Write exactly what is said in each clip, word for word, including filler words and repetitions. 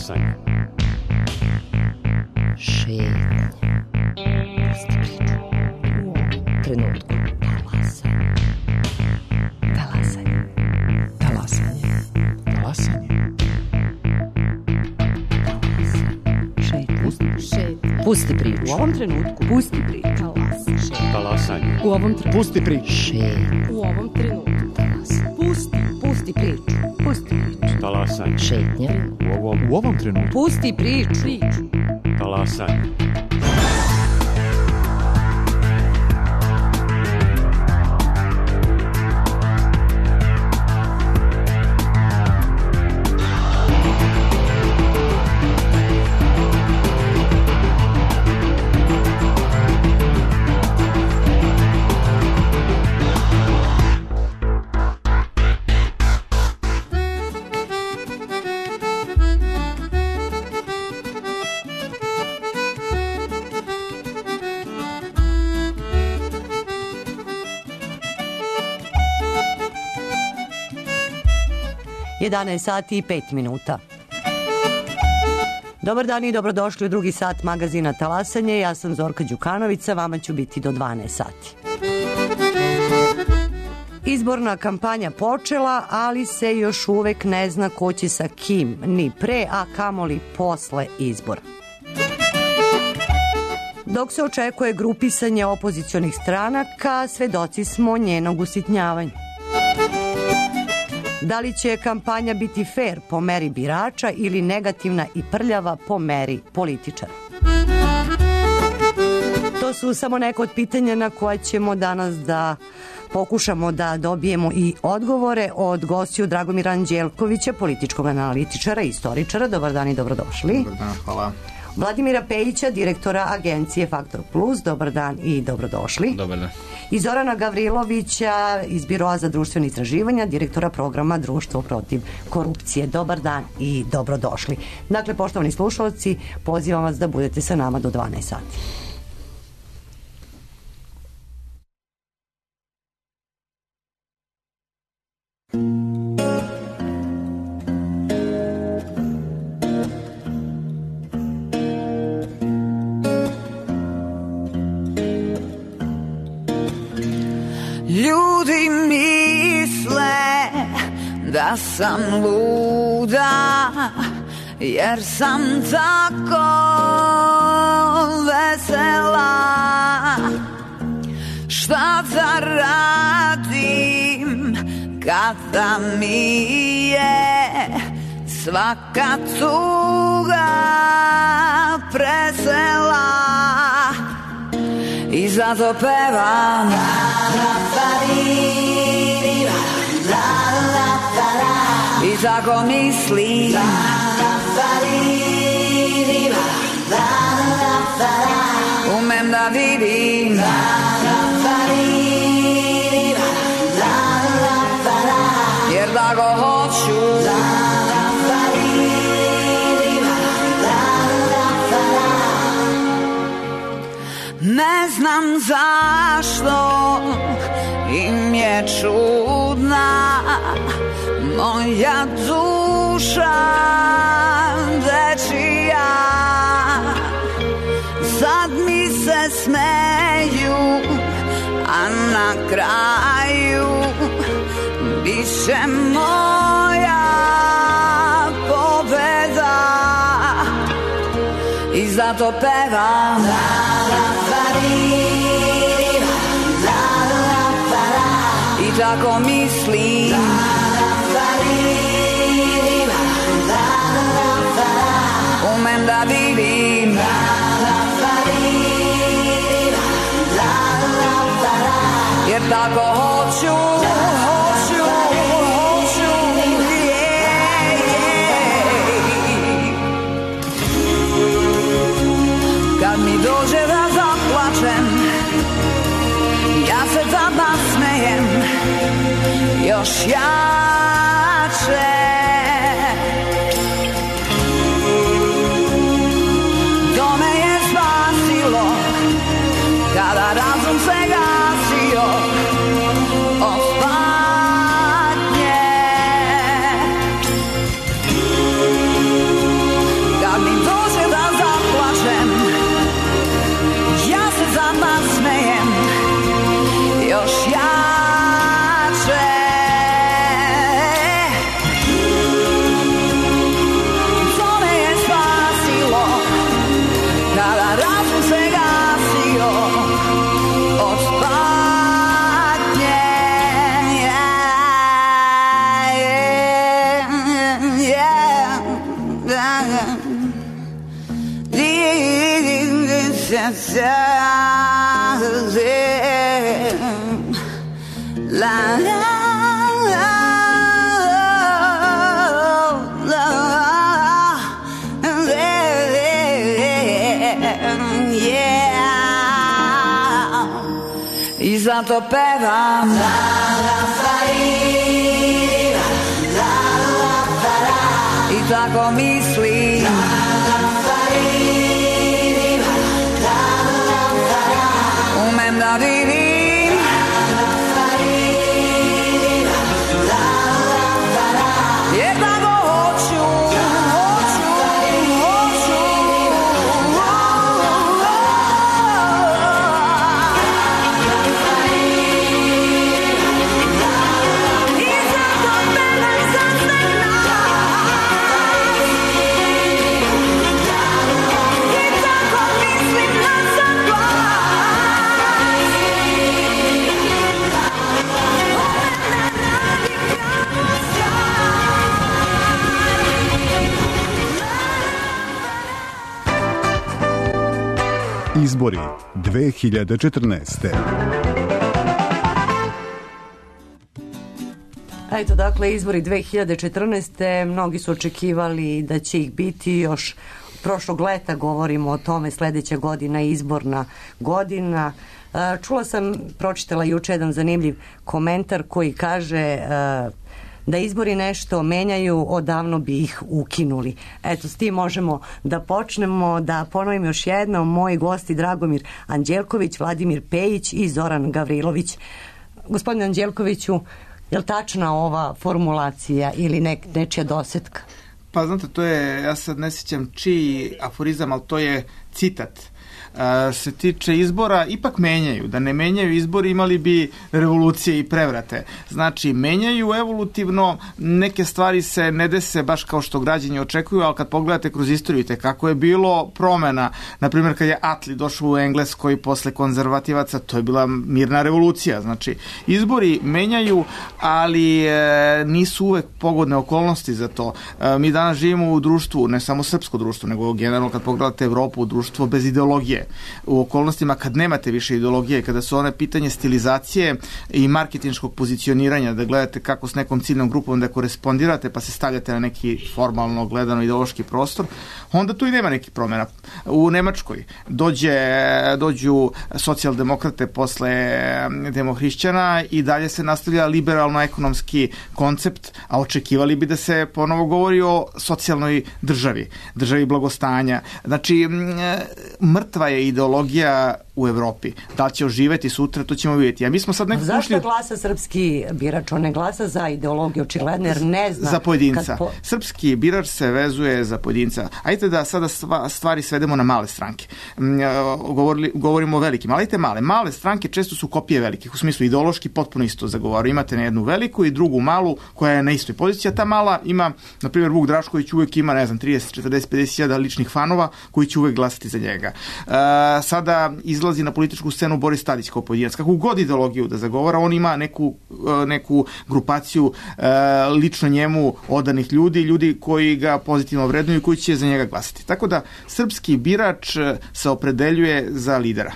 Talasanje. Šetnje. Pusti priču. U ovom trenutku. Talasanje. Talasanje. Talasanje. Talasanje. Šetnje. Pusti priču. U ovom trenutku. Pusti priču. Talasanje. U ovom trenutku. Pusti priču. Šetnje. U ovom trenutku. Talasanje. Pusti. Pusti priču. Pusti priču. Talasanje. Šetnje. U ovom, U ovom trenutku. Pusti priču. Priču. talasanje. jedanaest sati i pet minuta. Dobar dan i dobrodošli u drugi sat magazina Talasanje. Ja sam Zorka Đukanović, vama ću biti do dvanaest sati. Izborna kampanja počela, ali se još uvek ne zna ko će sa kim, ni pre, a kamoli posle izbora. Dok se očekuje grupisanje opozicionih stranaka, svedoci smo njenog usitnjavanja. Da li će kampanja biti fair po meri birača ili negativna i prljava po meri političara? To su samo neko od pitanja na koja ćemo danas da pokušamo da dobijemo i odgovore od gostiju Dragomira Anđelkovića, političkog analitičara i istoričara. Dobar dan i dobrodošli. Dobar dan, hvala. Vladimira Pejića, direktora agencije Faktor Plus. Dobar dan i dobrodošli. Dobar dan. I Zorana Gavrilovića iz Biroa za društvene istraživanja, direktora programa Društvo protiv korupcije. Dobar dan i dobrodošli. Dakle, poštovani slušalci, pozivam vas da budete sa nama do dvanaest sati. Ljudi misle da sam luda, jer sam tako vesela. Šta da radim kada mi je svaka tuga presela? I zato pevam i tako mislim, umem da vidim, jer tako hoću. Ne znam zašto im je čudna moja duša dečija. Sad mi se smeju, a na kraju biće moja pobeda. I zato pevam i tako mislim, umem da vidim, jer tako hoću, hoću, hoću, yeah, yeah. Kad mi dođe da zaplačem, ja se tada smejem još jače. To me je spasilo kada razum se gasio od patnje. La la la la yeah. I zato pevam la la farina, la la farà. I tako mislim la la farina, la la farà. Umem da divim Izbori dve hiljade četrnaeste. Eto, dakle, izbori dve hiljade četrnaeste. Mnogi su očekivali da će ih biti još prošlog leta, govorimo o tome, sledeća godina izborna godina. Čula sam, pročitala juče jedan zanimljiv komentar koji kaže da izbori nešto menjaju, odavno bi ih ukinuli. Eto, s tim možemo da počnemo. Da ponovim još jednom, moji gosti Dragomir Anđelković, Vladimir Pejić i Zoran Gavrilović. Gospodine Anđelkoviću, je li tačna ova formulacija ili nek, nečija dosetka? Pa znate, to je, ja sad ne sjećam čiji aforizam, ali to je citat. Uh, se tiče izbora, ipak menjaju. Da ne menjaju izbori, imali bi revolucije i prevrate. Znači, menjaju evolutivno, neke stvari se ne dese baš kao što građani očekuju, ali kad pogledate kroz istoriju, te kako je bilo promena, na primjer kad je Attlee došao u Engleskoj posle konzervativaca, to je bila mirna revolucija. Znači, izbori menjaju, ali e, nisu uvek pogodne okolnosti za to. E, mi danas živimo u društvu, ne samo srpsko društvo, nego generalno kad pogledate Evropu, društvo bez ideologije. U okolnostima kad nemate više ideologije, kada su one pitanje stilizacije i marketinškog pozicioniranja, da gledate kako s nekom ciljnom grupom da korespondirate pa se stavljate na neki formalno gledano ideološki prostor, onda tu i nema nekih promjena. U Nemačkoj dođe, dođu socijaldemokrate posle demohrišćana i dalje se nastavlja liberalno-ekonomski koncept, a očekivali bi da se ponovo govori o socijalnoj državi, državi blagostanja. Znači, mrtva je ideologija u Evropi. Da li će oživeti sutra, to ćemo vidjeti. A mi smo sad nekako zašto ušli... glasa srpski birač? On ne glasa za ideologiju, očigledno, jer ne zna... Za pojedinca. Kad po... Srpski birač se vezuje za pojedinca. Ajde da sada stvari svedemo na male stranke. Govorili, govorimo o velikim, ali ajte male. Male stranke često su kopije velikih, u smislu ideološki potpuno isto zagovaraju. Imate na jednu veliku i drugu malu koja je na istoj poziciji, a ta mala ima, na primjer, Vuk Drašković uvek ima, ne znam, trideset, četrdeset, pedeset hiljada ličnih fanova koji će uvek glasati za njega. Uh, sada izlazi na političku scenu Boris Tadić kao pojedinac. Kako god ideologiju da zagovara, on ima neku, uh, neku grupaciju uh, lično njemu odanih ljudi, ljudi koji ga pozitivno vrednuju i koji će za njega glasati. Tako da srpski birač se opredeljuje za lidera.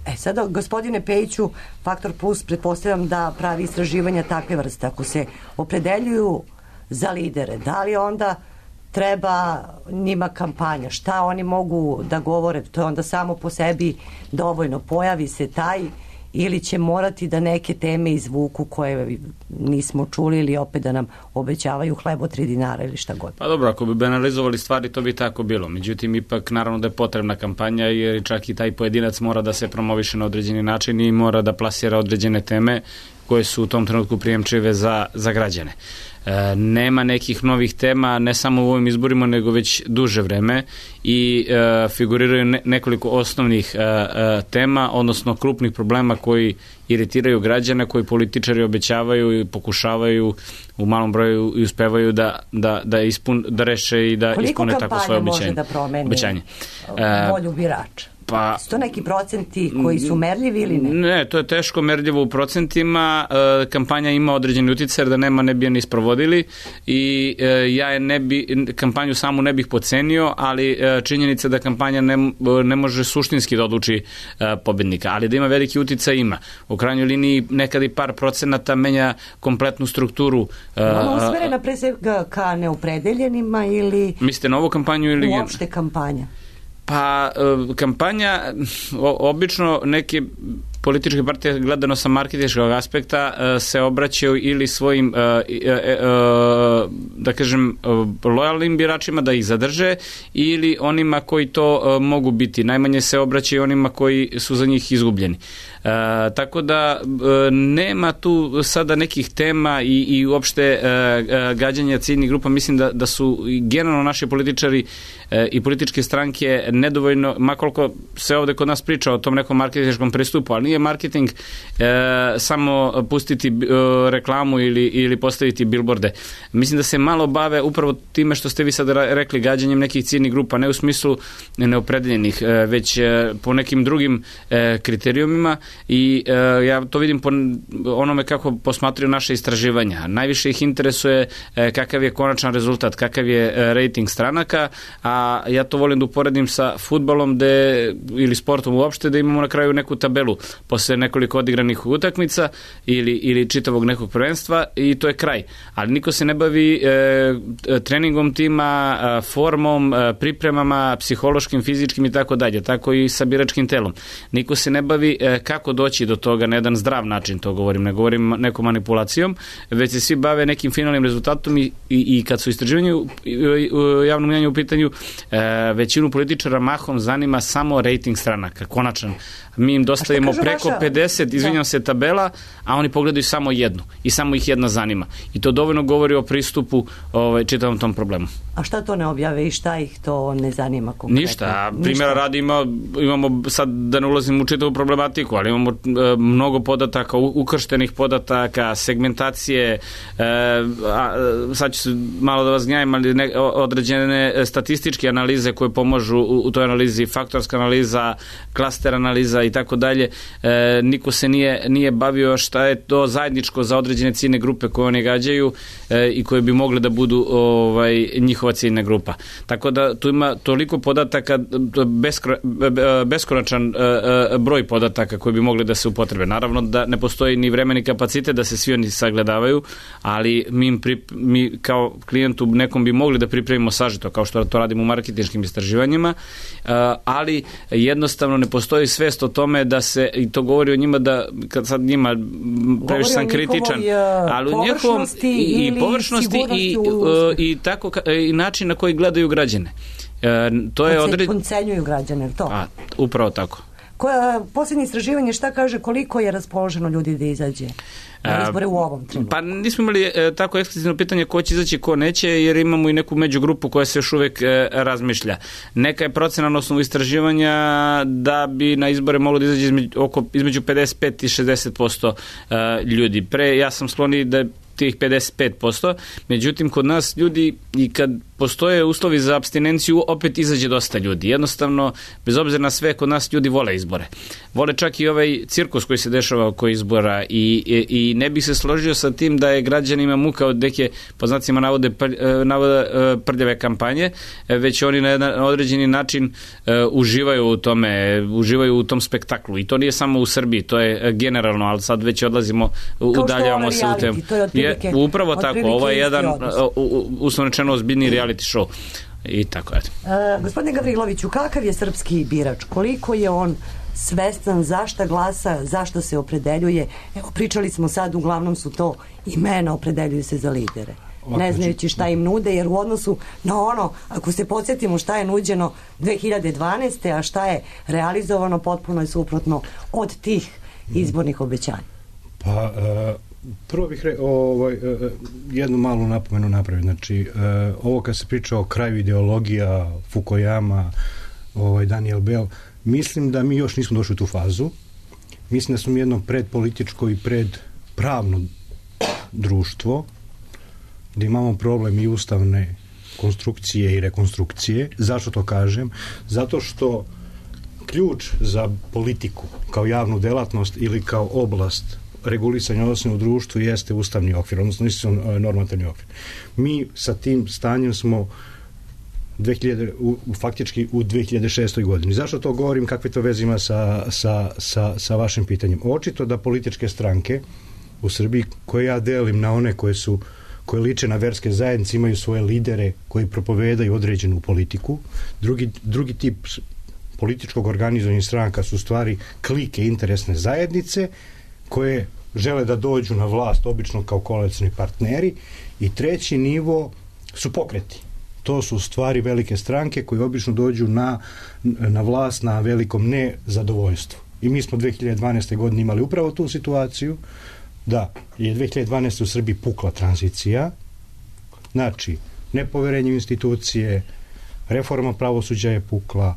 E sada, gospodine Pejiću, Faktor Plus pretpostavljam da pravi istraživanja takve vrste. Ako se opredeljuju za lidere, da li onda treba njima kampanja? Šta oni mogu da govore? To je onda samo po sebi dovoljno. Pojavi se taj ili će morati da neke teme izvuku koje nismo čuli ili opet da nam obećavaju hleb od tri dinara ili šta god. Pa dobro, ako bi banalizovali stvari, to bi tako bilo. Međutim, ipak naravno da je potrebna kampanja jer čak i taj pojedinac mora da se promoviše na određeni način i mora da plasira određene teme koje su u tom trenutku prijemčive za, za građane. E, nema nekih novih tema, ne samo u ovim izborima, nego već duže vreme i e, figuriraju ne, nekoliko osnovnih e, e, tema, odnosno krupnih problema koji iritiraju građane, koji političari obećavaju i pokušavaju u malom broju i uspevaju da, da, da, ispun, da reše i da koliko ispune tako svoje obećanje. Koliko kampanja može da promeni obećanje. volju birača? Pa, su to neki procenti koji su merljivi ili ne? Ne, to je teško merljivo u procentima. E, kampanja ima određeni utjecaj, da nema ne bi je ni sprovodili i e, ja je ne bi, kampanju samu ne bih pocenio, ali e, činjenica da kampanja ne, ne može suštinski da odluči e, pobednika, ali da ima veliki utjecaj ima. U krajnjoj liniji nekada i par procenata menja kompletnu strukturu. E, Ona usmerena pre svega ka neopredeljenima ili... Mislite na ovu kampanju ili... Uopšte kampanja? Pa, kampanja, obično neke političke partije gledano sa marketinškog aspekta se obraćaju ili svojim, da kažem, lojalnim biračima da ih zadrže ili onima koji to mogu biti. Najmanje se obraćaju onima koji su za njih izgubljeni. E, tako da e, nema tu sada nekih tema i, i uopšte e, gađanja ciljnih grupa. Mislim da, da su generalno naši političari e, i političke stranke nedovoljno, makoliko se ovde kod nas priča o tom nekom marketinškom pristupu, ali nije marketing e, samo pustiti e, reklamu ili, ili postaviti bilborde. Mislim da se malo bave upravo time što ste vi sad rekli, gađanjem nekih ciljnih grupa, ne u smislu neopredeljenih, e, već e, po nekim drugim e, kriterijumima. I e, ja to vidim po onome kako posmatruju naše istraživanja. Najviše ih interesuje e, kakav je konačan rezultat, kakav je e, rating stranaka, a ja to volim da uporedim sa fudbalom de, ili sportom uopšte, da imamo na kraju neku tabelu posle nekoliko odigranih utakmica ili, ili čitavog nekog prvenstva i to je kraj. Ali niko se ne bavi e, treningom tima, e, formom, e, pripremama, psihološkim, fizičkim i tako dalje. Tako i sa biračkim telom. Niko se ne bavi e, kako doći do toga na jedan zdrav način, to govorim, ne govorim nekom manipulacijom, već se svi bave nekim finalnim rezultatom i, i, i kad su istraživanje u javnom mnjenju u pitanju, e, većinu političara mahom zanima samo rating stranaka, konačan. Mi im dostavimo preko vaša... pedeset, izvinjam se, tabela, a oni pogledaju samo jednu i samo ih jedna zanima. I to dovoljno govori o pristupu ovaj, čitavom tom problemu. A šta to ne objave i šta ih to ne zanima konkretno? Ništa. Primjera radi ima, imamo, sad da ne ulazim u čitavu problematiku, ali imamo e, mnogo podataka, ukrštenih podataka, segmentacije, e, a, sad ću se malo da vas gnjavim, ali ne, određene statističke analize koje pomažu u, u toj analizi, faktorska analiza, klaster analiza i tako dalje. E, niko se nije, nije bavio šta je to zajedničko za određene ciljne grupe koje oni gađaju e, i koje bi mogle da budu ovaj, njihova ciljna grupa. Tako da tu ima toliko podataka, beskro, beskonačan e, broj podataka koji bi mogli da se upotrebe. Naravno da ne postoji ni vreme ni kapacitet da se svi oni sagledavaju, ali mi, im pri, mi kao klijentu nekom bi mogli da pripremimo sažeto, kao što to radimo u marketinškim istraživanjima, e, ali jednostavno ne postoji svest o tome da se, i to govori o njima da, kad sad njima previše sam kritičan, ali u njihovom i, i površnosti i, i tako i način na koji gledaju građane. E, to je odred... Poncenjuju građane, to? A, upravo tako. Koja, posljednje istraživanje šta kaže koliko je raspoloženo ljudi da izađe na izbore u ovom trenutku? Pa nismo imali e, tako eksplicitno pitanje ko će izaći, ko neće, jer imamo i neku međugrupu koja se još uvek e, razmišlja. Neka je procena na osnovu istraživanja da bi na izbore moglo da izađe između, oko, između pedeset pet i šezdeset posto e, ljudi. Pre, ja sam skloni da tih pedeset pet posto, međutim kod nas ljudi i kad postoje uslovi za apstinenciju opet izađe dosta ljudi. Jednostavno, bez obzira na sve, kod nas ljudi vole izbore. Vole čak i ovaj cirkus koji se dešava oko izbora i, i, i ne bih se složio sa tim da je građanima muka od neke, po znacima navode, pr, navode prljave kampanje, već oni na jedan određeni način uh, uživaju u tome, uživaju u tom spektaklu. I to nije samo u Srbiji, to je generalno, ali sad već odlazimo, udaljavamo se u tem. Je, upravo tako, ovo je jedan uslovno rečeno ozbiljni reality show i tako je. Uh, gospodine Gavriloviću, kakav je srpski birač? Koliko je on svestan zašta glasa, zašto se opredeljuje? Evo, pričali smo sad, uglavnom su to imena, opredeljuju se za lidere. Ne znajući šta im nude, jer u odnosu na ono, ako se podsjetimo šta je nuđeno dve hiljade dvanaeste. a šta je realizovano, potpuno je suprotno od tih izbornih obećanja. Pa, uh... Prvo bih re, ovaj, jednu malu napomenu napraviti. Znači, ovo kad se priča o kraju ideologija, Fukuyama, ovaj, Daniel Bell, mislim da mi još nismo došli u tu fazu. Mislim da smo jedno predpolitičko i predpravno društvo, da imamo problem i ustavne konstrukcije i rekonstrukcije. Zašto to kažem? Zato što ključ za politiku kao javnu delatnost ili kao oblast regulisanja odnosa u društvu jeste ustavni okvir, odnosno normativni okvir. Mi sa tim stanjem smo dve hiljade, u, faktički u dve hiljade šestoj godini. Zašto to govorim? Kakve to veze ima sa, sa, sa, sa vašim pitanjem? Očito da političke stranke u Srbiji, koje ja delim na one koje su koje liče na verske zajednice, imaju svoje lidere koji propovedaju određenu politiku. Drugi, drugi tip političkog organizovanja stranaka su stvari klike interesne zajednice koje žele da dođu na vlast, obično kao koalicioni partneri, i treći nivo su pokreti. To su stvari velike stranke koje obično dođu na, na vlast na velikom nezadovoljstvu. I mi smo dve hiljade dvanaeste. godine imali upravo tu situaciju da je dve hiljade dvanaeste. u Srbiji pukla tranzicija, znači nepoverenje u institucije, reforma pravosuđa je pukla,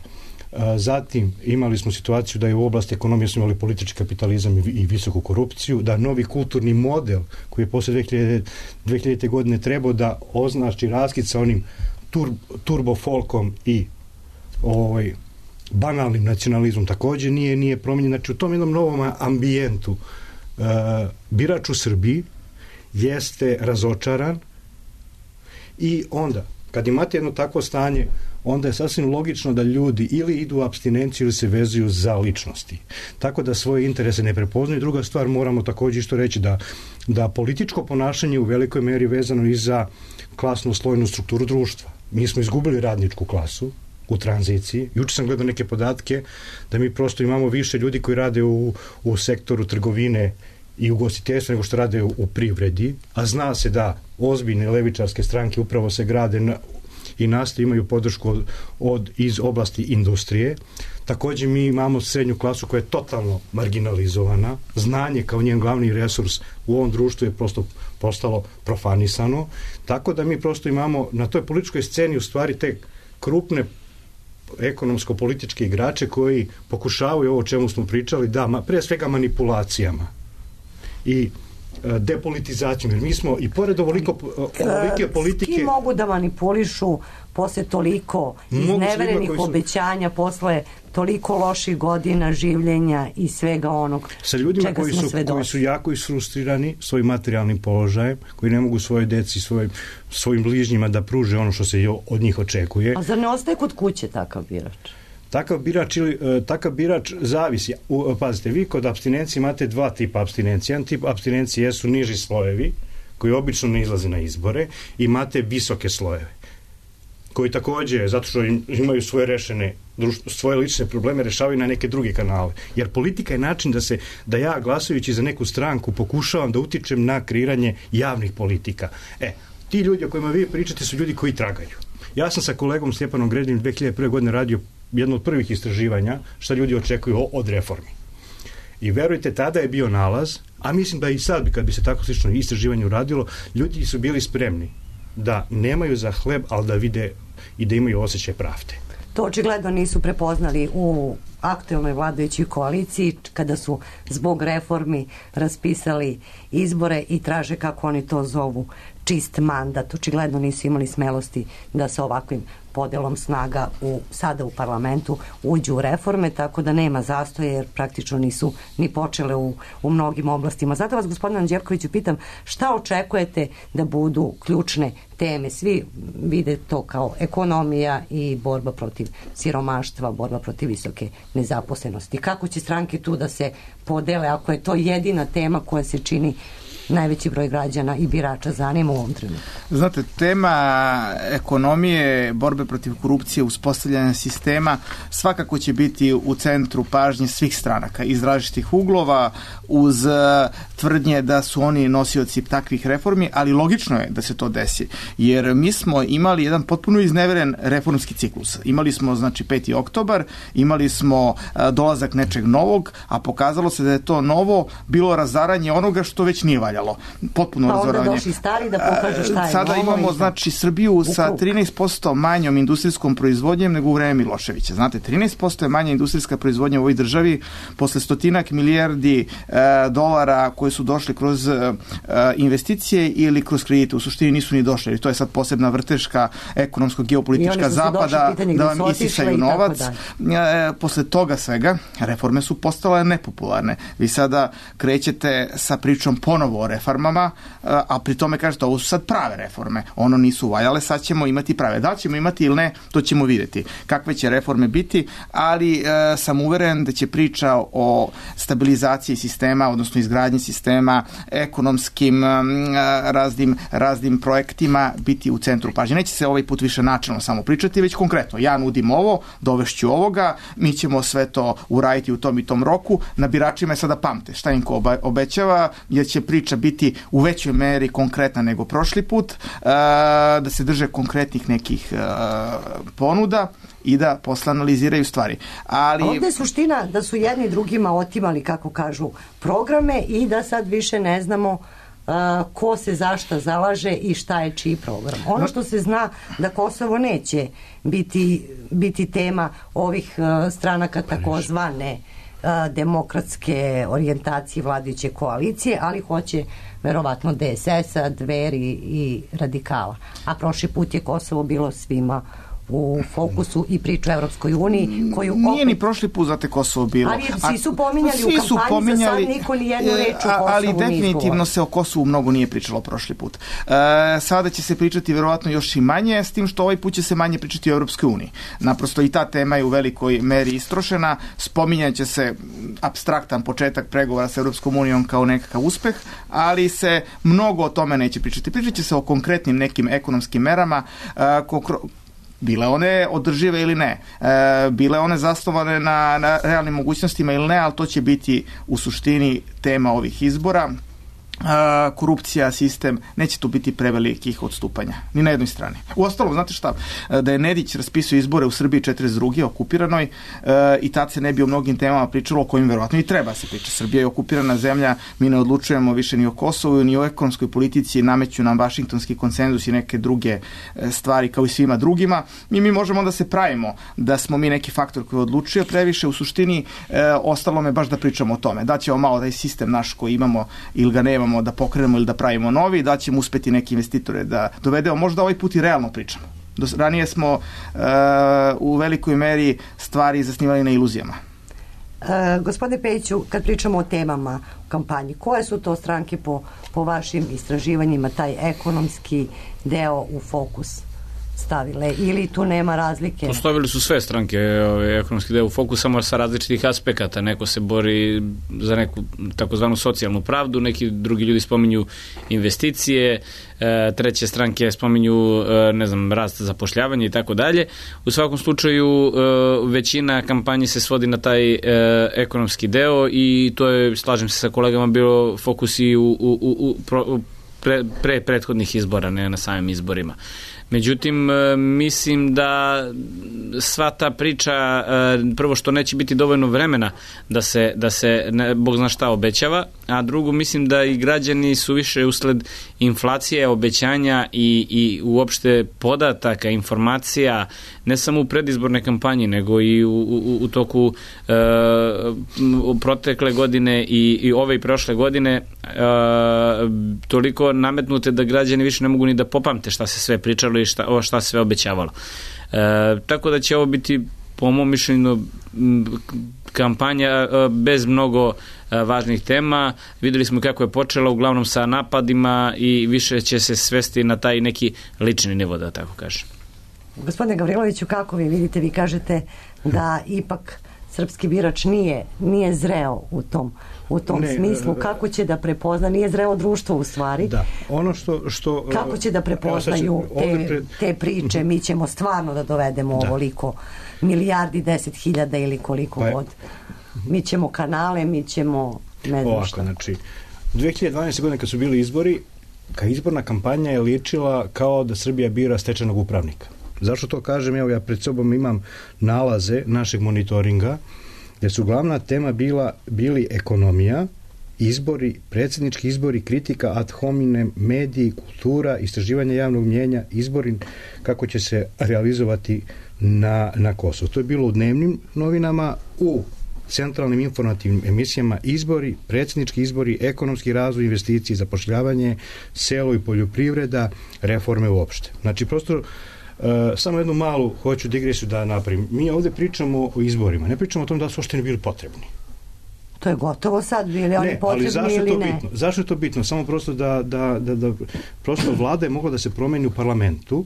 zatim imali smo situaciju da je u oblasti ekonomije smo imali politički kapitalizam i visoku korupciju, da novi kulturni model koji je posle dve hiljadite. godine trebao da označi raskid sa onim tur, turbo folkom i ovaj, banalnim nacionalizmom takođe nije, nije promenjen. Znači u tom jednom novom ambijentu uh, birač u Srbiji jeste razočaran i onda kad imate jedno takvo stanje, onda je sasvim logično da ljudi ili idu u apstinenciju ili se vezuju za ličnosti. Tako da svoje interese ne prepoznaju. Druga stvar, moramo također isto reći da, da političko ponašanje u velikoj meri vezano i za klasnu slojnu strukturu društva. Mi smo izgubili radničku klasu u tranziciji. Juče sam gledao neke podatke da mi prosto imamo više ljudi koji rade u, u sektoru trgovine i ugostiteljstva nego što rade u, u privredi, a zna se da ozbiljne levičarske stranke upravo se grade na, i nastoje imaju podršku od, od, iz oblasti industrije. Također mi imamo srednju klasu koja je totalno marginalizovana. Znanje kao njen glavni resurs u ovom društvu je prosto postalo profanisano. Tako da mi prosto imamo na toj političkoj sceni u stvari te krupne ekonomsko-političke igrače koji pokušavaju ovo o čemu smo pričali, da, ma, pre svega manipulacijama i depolitizacijom, jer mi smo i pored ovoliko, ovolike politike... S kim mogu da manipulišu posle toliko izneverenih obećanja, su... posle toliko loših godina življenja i svega onog sa ljudima čega koji smo su, sve koji su jako isfrustrirani svojim materijalnim položajem, koji ne mogu svoje deci, svoj, svojim bližnjima da pruže ono što se od njih očekuje. A zar ne ostaje kod kuće takav birač? Takav birač, ili, takav birač zavisi. U, pazite, vi kod apstinencije imate dva tipa apstinencije. Jedan tip apstinencije jesu niži slojevi, koji obično ne izlaze na izbore, i imate visoke slojeve, koji takođe, zato što imaju svoje rešene, svoje lične probleme, rešavaju na neke druge kanale. Jer politika je način da se, da ja glasajući za neku stranku pokušavam da utičem na kreiranje javnih politika. E, ti ljudi o kojima vi pričate su ljudi koji tragaju. Ja sam sa kolegom Stjepanom Gredinim dve hiljade prve. godine radio jedno od prvih istraživanja šta ljudi očekuju od reformi. I verujte, tada je bio nalaz, a mislim da i sad, kad bi se tako slično istraživanje uradilo, ljudi su bili spremni da nemaju za hleb, ali da vide i da imaju osjećaj pravde. To očigledno nisu prepoznali u aktuelnoj vladajućoj koaliciji kada su zbog reformi raspisali izbore i traže, kako oni to zovu, čist mandat. Očigledno nisu imali smelosti da sa ovakvim podelom snaga u, sada u parlamentu uđu u reforme, tako da nema zastoja jer praktično nisu ni počele u, u mnogim oblastima. Zato vas, gospodine Anđelkoviću, pitam šta očekujete da budu ključne teme? Svi vide to kao ekonomija i borba protiv siromaštva, borba protiv visoke nezaposlenosti. Kako će stranke tu da se podele ako je to jedina tema koja se čini najveći broj građana i birača zanima u ovom trenutku? Znate, tema ekonomije, borbe protiv korupcije, uspostavljanja sistema svakako će biti u centru pažnje svih stranaka iz različitih uglova, uz tvrdnje da su oni nosioci takvih reformi, ali logično je da se to desi, jer mi smo imali jedan potpuno izneveren reformski ciklus. Imali smo, znači, peti oktobar, imali smo dolazak nečeg novog, a pokazalo se da je to novo bilo razaranje onoga što već nije valjalo. Potpuno pa razoranje. Pa onda došli stari da pokažu šta je. Sada imamo, znači, Srbiju sa trinaest posto manjom industrijskom proizvodnjem nego u vreme Miloševića. Znate, trinaest posto je manja industrijska proizvodnja u ovoj državi posle stotinak milijardi e, dolara koje koji su došli kroz uh, investicije ili kroz kredite. U suštini nisu ni došli, jer to je sad posebna vrteška ekonomsko-geopolitička zapada da vam isisaju novac. E, posle toga svega, reforme su postale nepopularne. Vi sada krećete sa pričom ponovo o reformama, a pri tome kažete, ovo su sad prave reforme. Ono nisu valjale, sad ćemo imati prave. Da li ćemo imati ili ne, to ćemo vidjeti. Kakve će reforme biti, ali e, sam uveren da će priča o stabilizaciji sistema, odnosno izgradnji sistema, ekonomskim e, raznim, raznim projektima biti u centru pažnje. Neće se ovaj put više načelno samo pričati, već konkretno. Ja nudim ovo, dovešću ovoga, mi ćemo sve to uraditi u tom i tom roku. Na biračima je sada pamte šta im ko obećava, jer će priča biti u većoj meri konkretna nego prošli put, e, da se drže konkretnih nekih e, ponuda i da posle analiziraju stvari. Ali... A ovdje je suština da su jedni drugima otimali, kako kažu, programe i da sad više ne znamo uh, ko se zašta zalaže i šta je čiji program. Ono što se zna da Kosovo neće biti, biti tema ovih uh, stranaka takozvane uh, demokratske orijentacije vladajuće koalicije, ali hoće verovatno D S S-a, Dveri i Radikala. A prošli put je Kosovo bilo svima u fokusu i priču o Evropskoj uniji, koju nije opet... ni prošli put za te Kosovo bilo. Ali svi su pominjali svi u kampanji, pominjali, za sad niko ni jednu reč o Kosovu ali nije definitivno izgovorio. se o Kosovu mnogo nije pričalo prošli put. E, sada će se pričati verovatno još i manje, s tim što ovaj put će se manje pričati o Evropskoj uniji. Naprosto i ta tema je u velikoj meri istrošena, spominjat će se apstraktan početak pregovora sa Evropskom unijom kao nekakav uspeh, ali se mnogo o tome neće pričati. Pričat će se o konkretnim nekim ekonomskim merama, e, ko, bile one održive ili ne, e, bile one zasnovane na, na realnim mogućnostima ili ne, ali to će biti u suštini tema ovih izbora. E, korupcija, sistem, neće tu biti prevelikih odstupanja, ni na jednoj strani. Uostalom, znate šta, da je Nedić raspisao izbore u Srbiji četrdeset druge okupiranoj e, i tad se ne bi o mnogim temama pričalo o kojim verovatno i treba se priča. Srbija je okupirana zemlja, mi ne odlučujemo više ni o Kosovu, ni o ekonomskoj politici, nameću nam vašingtonski konsenzus i neke druge stvari kao i svima drugima. Mi, mi možemo da se pravimo da smo mi neki faktor koji odlučuje previše, u suštini e, ostalo me baš da pričamo o tome. Da ćemo malo taj sistem naš koji imamo ili ga nemamo da pokrenemo ili da pravimo novi, da ćemo uspeti neki investitore da dovedemo. Možda ovaj put i realno pričamo. Do, ranije smo uh, u velikoj meri stvari zasnivali na iluzijama. Uh, gospodine Pejiću, kad pričamo o temama u kampanji, koje su to stranke po, po vašim istraživanjima taj ekonomski deo u fokus stavile ili tu nema razlike? Postavili su sve stranke ovaj, ekonomski deo u fokus, samo sa različitih aspekata. Neko se bori za neku takozvanu socijalnu pravdu, neki drugi ljudi spominju investicije, e, treće stranke spominju e, ne znam, rast zapošljavanja i tako dalje. U svakom slučaju e, većina kampanji se svodi na taj e, ekonomski deo i to je, slažem se sa kolegama, bilo fokus i u, u, u, u pro, pre, pre prethodnih izbora, ne na samim izborima. Međutim, mislim da sva ta priča, prvo što neće biti dovoljno vremena da se, da se ne, Bog zna šta obećava, a drugo, mislim da i građani su više usled inflacije, obećanja i, i uopšte podataka, informacija, ne samo u predizbornoj kampanji, nego i u, u, u toku e, u protekle godine i, i ove i prošle godine e, toliko nametnute da građani više ne mogu ni da popamte šta se sve pričalo i šta, o šta se sve obećavalo. E, tako da će ovo biti, po mom mišljenju, kampanja e, bez mnogo e, važnih tema. Videli smo kako je počela, uglavnom sa napadima, i više će se svesti na taj neki lični nivo, da tako kažem. Gospodine Gavriloviću, kako vi vidite, vi kažete da ipak srpski birač nije, nije zreo u tom, u tom ne, smislu, kako će da prepozna, nije zreo društvo u stvari. Da, ono što... što kako će da prepoznaju te, pred... te priče, mi ćemo stvarno da dovedemo da. ovoliko milijardi, deset hiljada ili koliko pa, god. Mi ćemo kanale, mi ćemo ne znam ovako, šta. Znači, dve hiljade dvanaeste. godine kad su bili izbori, ka izborna kampanja je ličila kao da Srbija bira stečajnog upravnika. Zašto to kažem? Evo, ja pred sobom imam nalaze našeg monitoringa, jer su glavna tema bila, bili ekonomija, izbori, predsjednički izbori, kritika ad hominem, mediji, kultura, istraživanje javnog mnjenja, izbori kako će se realizovati na, na Kosovu. To je bilo u dnevnim novinama, u centralnim informativnim emisijama izbori, predsjednički izbori, ekonomski razvoj, investicije, zapošljavanje, selo i poljoprivreda, reforme uopšte. Znači, prosto, uh, samo jednu malu hoću digresiju da napravim. Mi ovdje pričamo o izborima, ne pričamo o tom da su uopšte ne bili potrebni. To je gotovo sad, bili oni ne, potrebni ali zašto ili je to ne? Bitno? Zašto je to bitno? Samo prosto da, da, da, da prosto vlada je mogla da se promeni u parlamentu.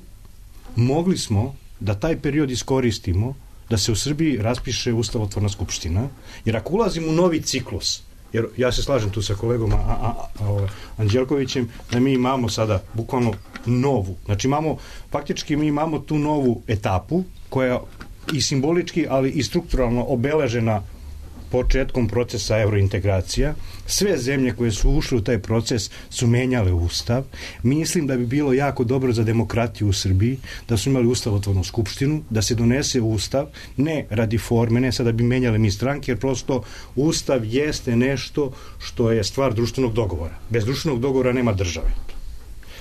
Mogli smo da taj period iskoristimo da se u Srbiji raspiše ustavotvorna skupština, jer ako ulazimo u novi ciklus, jer ja se slažem tu sa kolegom a, a, a, Anđelkovićem, da mi imamo sada bukvalno novu, znači imamo, faktički mi imamo tu novu etapu koja i simbolički, ali i strukturalno obeležena početkom procesa eurointegracija. Sve zemlje koje su ušle u taj proces su menjale ustav. Mislim da bi bilo jako dobro za demokratiju u Srbiji da su imali ustavotvornu skupštinu, da se donese ustav, ne radi forme, ne sada bi menjali mi stranke, jer prosto ustav jeste nešto što je stvar društvenog dogovora. Bez društvenog dogovora nema države.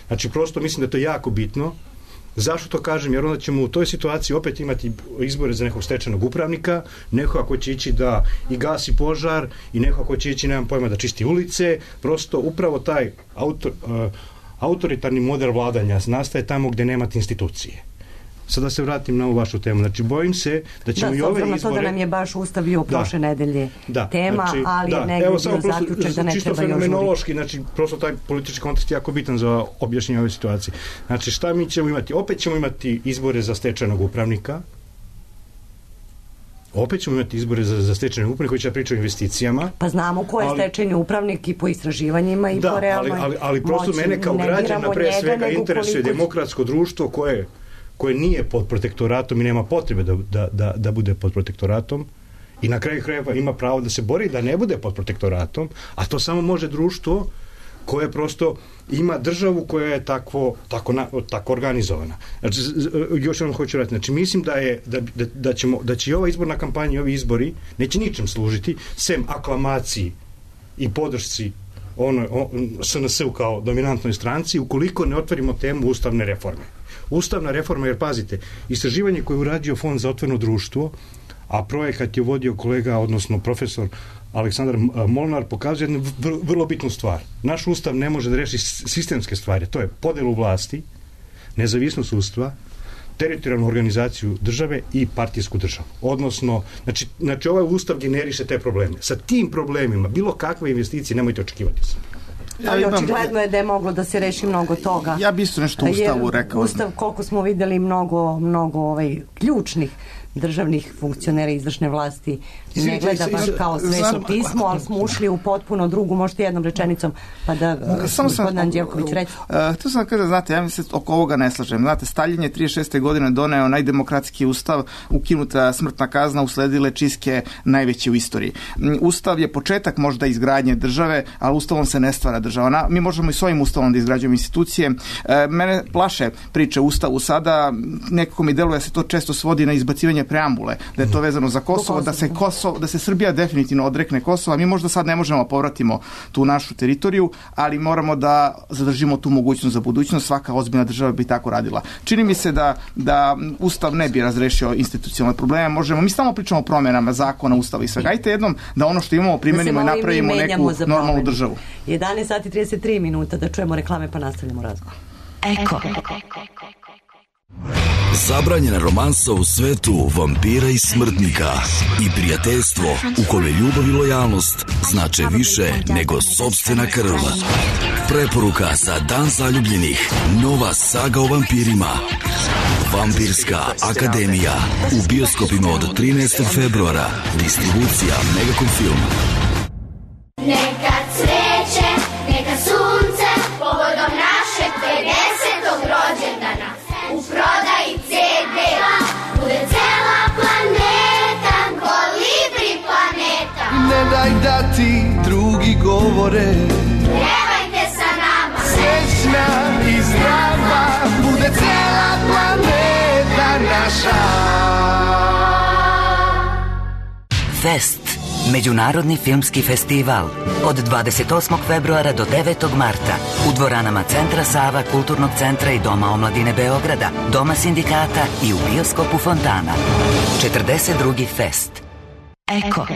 Znači, prosto mislim da je to jako bitno. Zašto to kažem? Jer onda ćemo u toj situaciji opet imati izbore za nekog stečajnog upravnika, neko ako će ići da i gasi požar i neko ako će ići, nemam pojma, da čisti ulice. Prosto upravo taj autor, uh, autoritarni model vladanja nastaje tamo gde nemate institucije. Sad da se vratim na ovu vašu temu. Znači, bojim se da ćemo da, i ove izbore... Da, s obzirom na to da nam je baš Ustav bio prošle da, nedelje da, tema, znači, ali da, negdje bio zaključak da ne čisto treba još fenomenološki, znači, prosto taj politički kontekst je jako bitan za objašnjenje ove situacije. Znači, šta mi ćemo imati? Opet ćemo imati izbore za stečajnog upravnika, opet ćemo imati izbore za, za stečajnog upravnika koji će pričati o investicijama. Pa znamo ko je ali, stečajni upravnik i po istraživanjima i da, po realnoj ali, ali, ali prosto moći, mene kao građana pre svega interesuje demokratsko društvo koje koje nije pod protektoratom i nema potrebe da, da, da, da bude pod protektoratom i na kraju krajeva ima pravo da se bori da ne bude pod protektoratom, a to samo može društvo koje prosto ima državu koja je takvo, tako, na, tako organizovana. Znači, još jednom hoću reći, znači mislim da je da, da, da, ćemo, da će i ova izborna kampanja i ovi izbori neće ničem služiti, sem aklamaciji i podršci ono, on, S N S-u kao dominantnoj stranci, ukoliko ne otvorimo temu ustavne reforme. Ustavna reforma, jer pazite, istraživanje koje je uradio Fond za otvoreno društvo, a projekat je vodio kolega, odnosno profesor Aleksandar Molnar, pokazuje jednu vrlo, vrlo bitnu stvar. Naš ustav ne može da reši sistemske stvari, to je podelu vlasti, nezavisnost sudstva, teritorijalnu organizaciju države i partijsku državu. Odnosno, znači, znači ovaj ustav generiše te probleme. Sa tim problemima, bilo kakve investicije nemojte očekivati se. Ja ali očigledno je da je moglo da se reši mnogo toga. Ja bi isto nešto u Ustavu rekao. Ustav, koliko smo videli, mnogo, mnogo ovaj, ključnih državnih funkcionera izvršne vlasti ne gleda baš kao sveto pismo, ali smo ušli u potpuno drugu, možete jednom rečenicom, pa da gospodin Anđelković reći. Htio sam da kažem, znate, ja mi se oko ovoga ne slažem. Znate, Staljin je trideset šeste godine doneo najdemokratski ustav, ukinuta smrtna kazna, usledile čistke najveće u istoriji. Ustav je početak možda izgradnje države, ali ustavom se ne stvara država. Mi možemo i svojim ustavom da izgrađujemo institucije. Mene plaše priče ustavu sada, nekako mi deluje da se to često svodi na izbacivanje preambule, da je to vezano za Kosovo, da se Kosovo, da se Srbija definitivno odrekne Kosova. Mi možda sad ne možemo povratimo tu našu teritoriju, ali moramo da zadržimo tu mogućnost za budućnost. Svaka ozbiljna država bi tako radila. Čini mi se da, da Ustav ne bi razrešio institucionalne probleme. Možemo, mi samo pričamo o promjenama zakona, Ustava i svega. Ajte jednom da ono što imamo primenimo i napravimo neku normalnu državu. jedanaest sati i trideset tri minuta, da čujemo reklame pa nastavljamo razgovor. Eko. Zabranjena romansa u svetu vampira i smrtnika i prijateljstvo u kome ljubav i lojalnost znače više nego sopstvena krv. Preporuka za Dan zaljubljenih. Nova saga o vampirima. Vampirska akademija. U bioskopima od trinaestog februara. Distribucija Megacom Film. Neka cveće, neka sunce, povodom našeg pedesetog rođendana. U prodaji ce de bude cela planeta, kolibri planeta. Ne daj da ti drugi govore, pevajte sa nama. Srećna i zdrava bude cela planeta naša. Fest. Međunarodni filmski festival od dvadeset osmog februara do devetog marta u dvoranama Centra Sava, Kulturnog centra i Doma omladine Beograda, Doma sindikata i u bioskopu Fontana. četrdeset drugi Fest. Eko.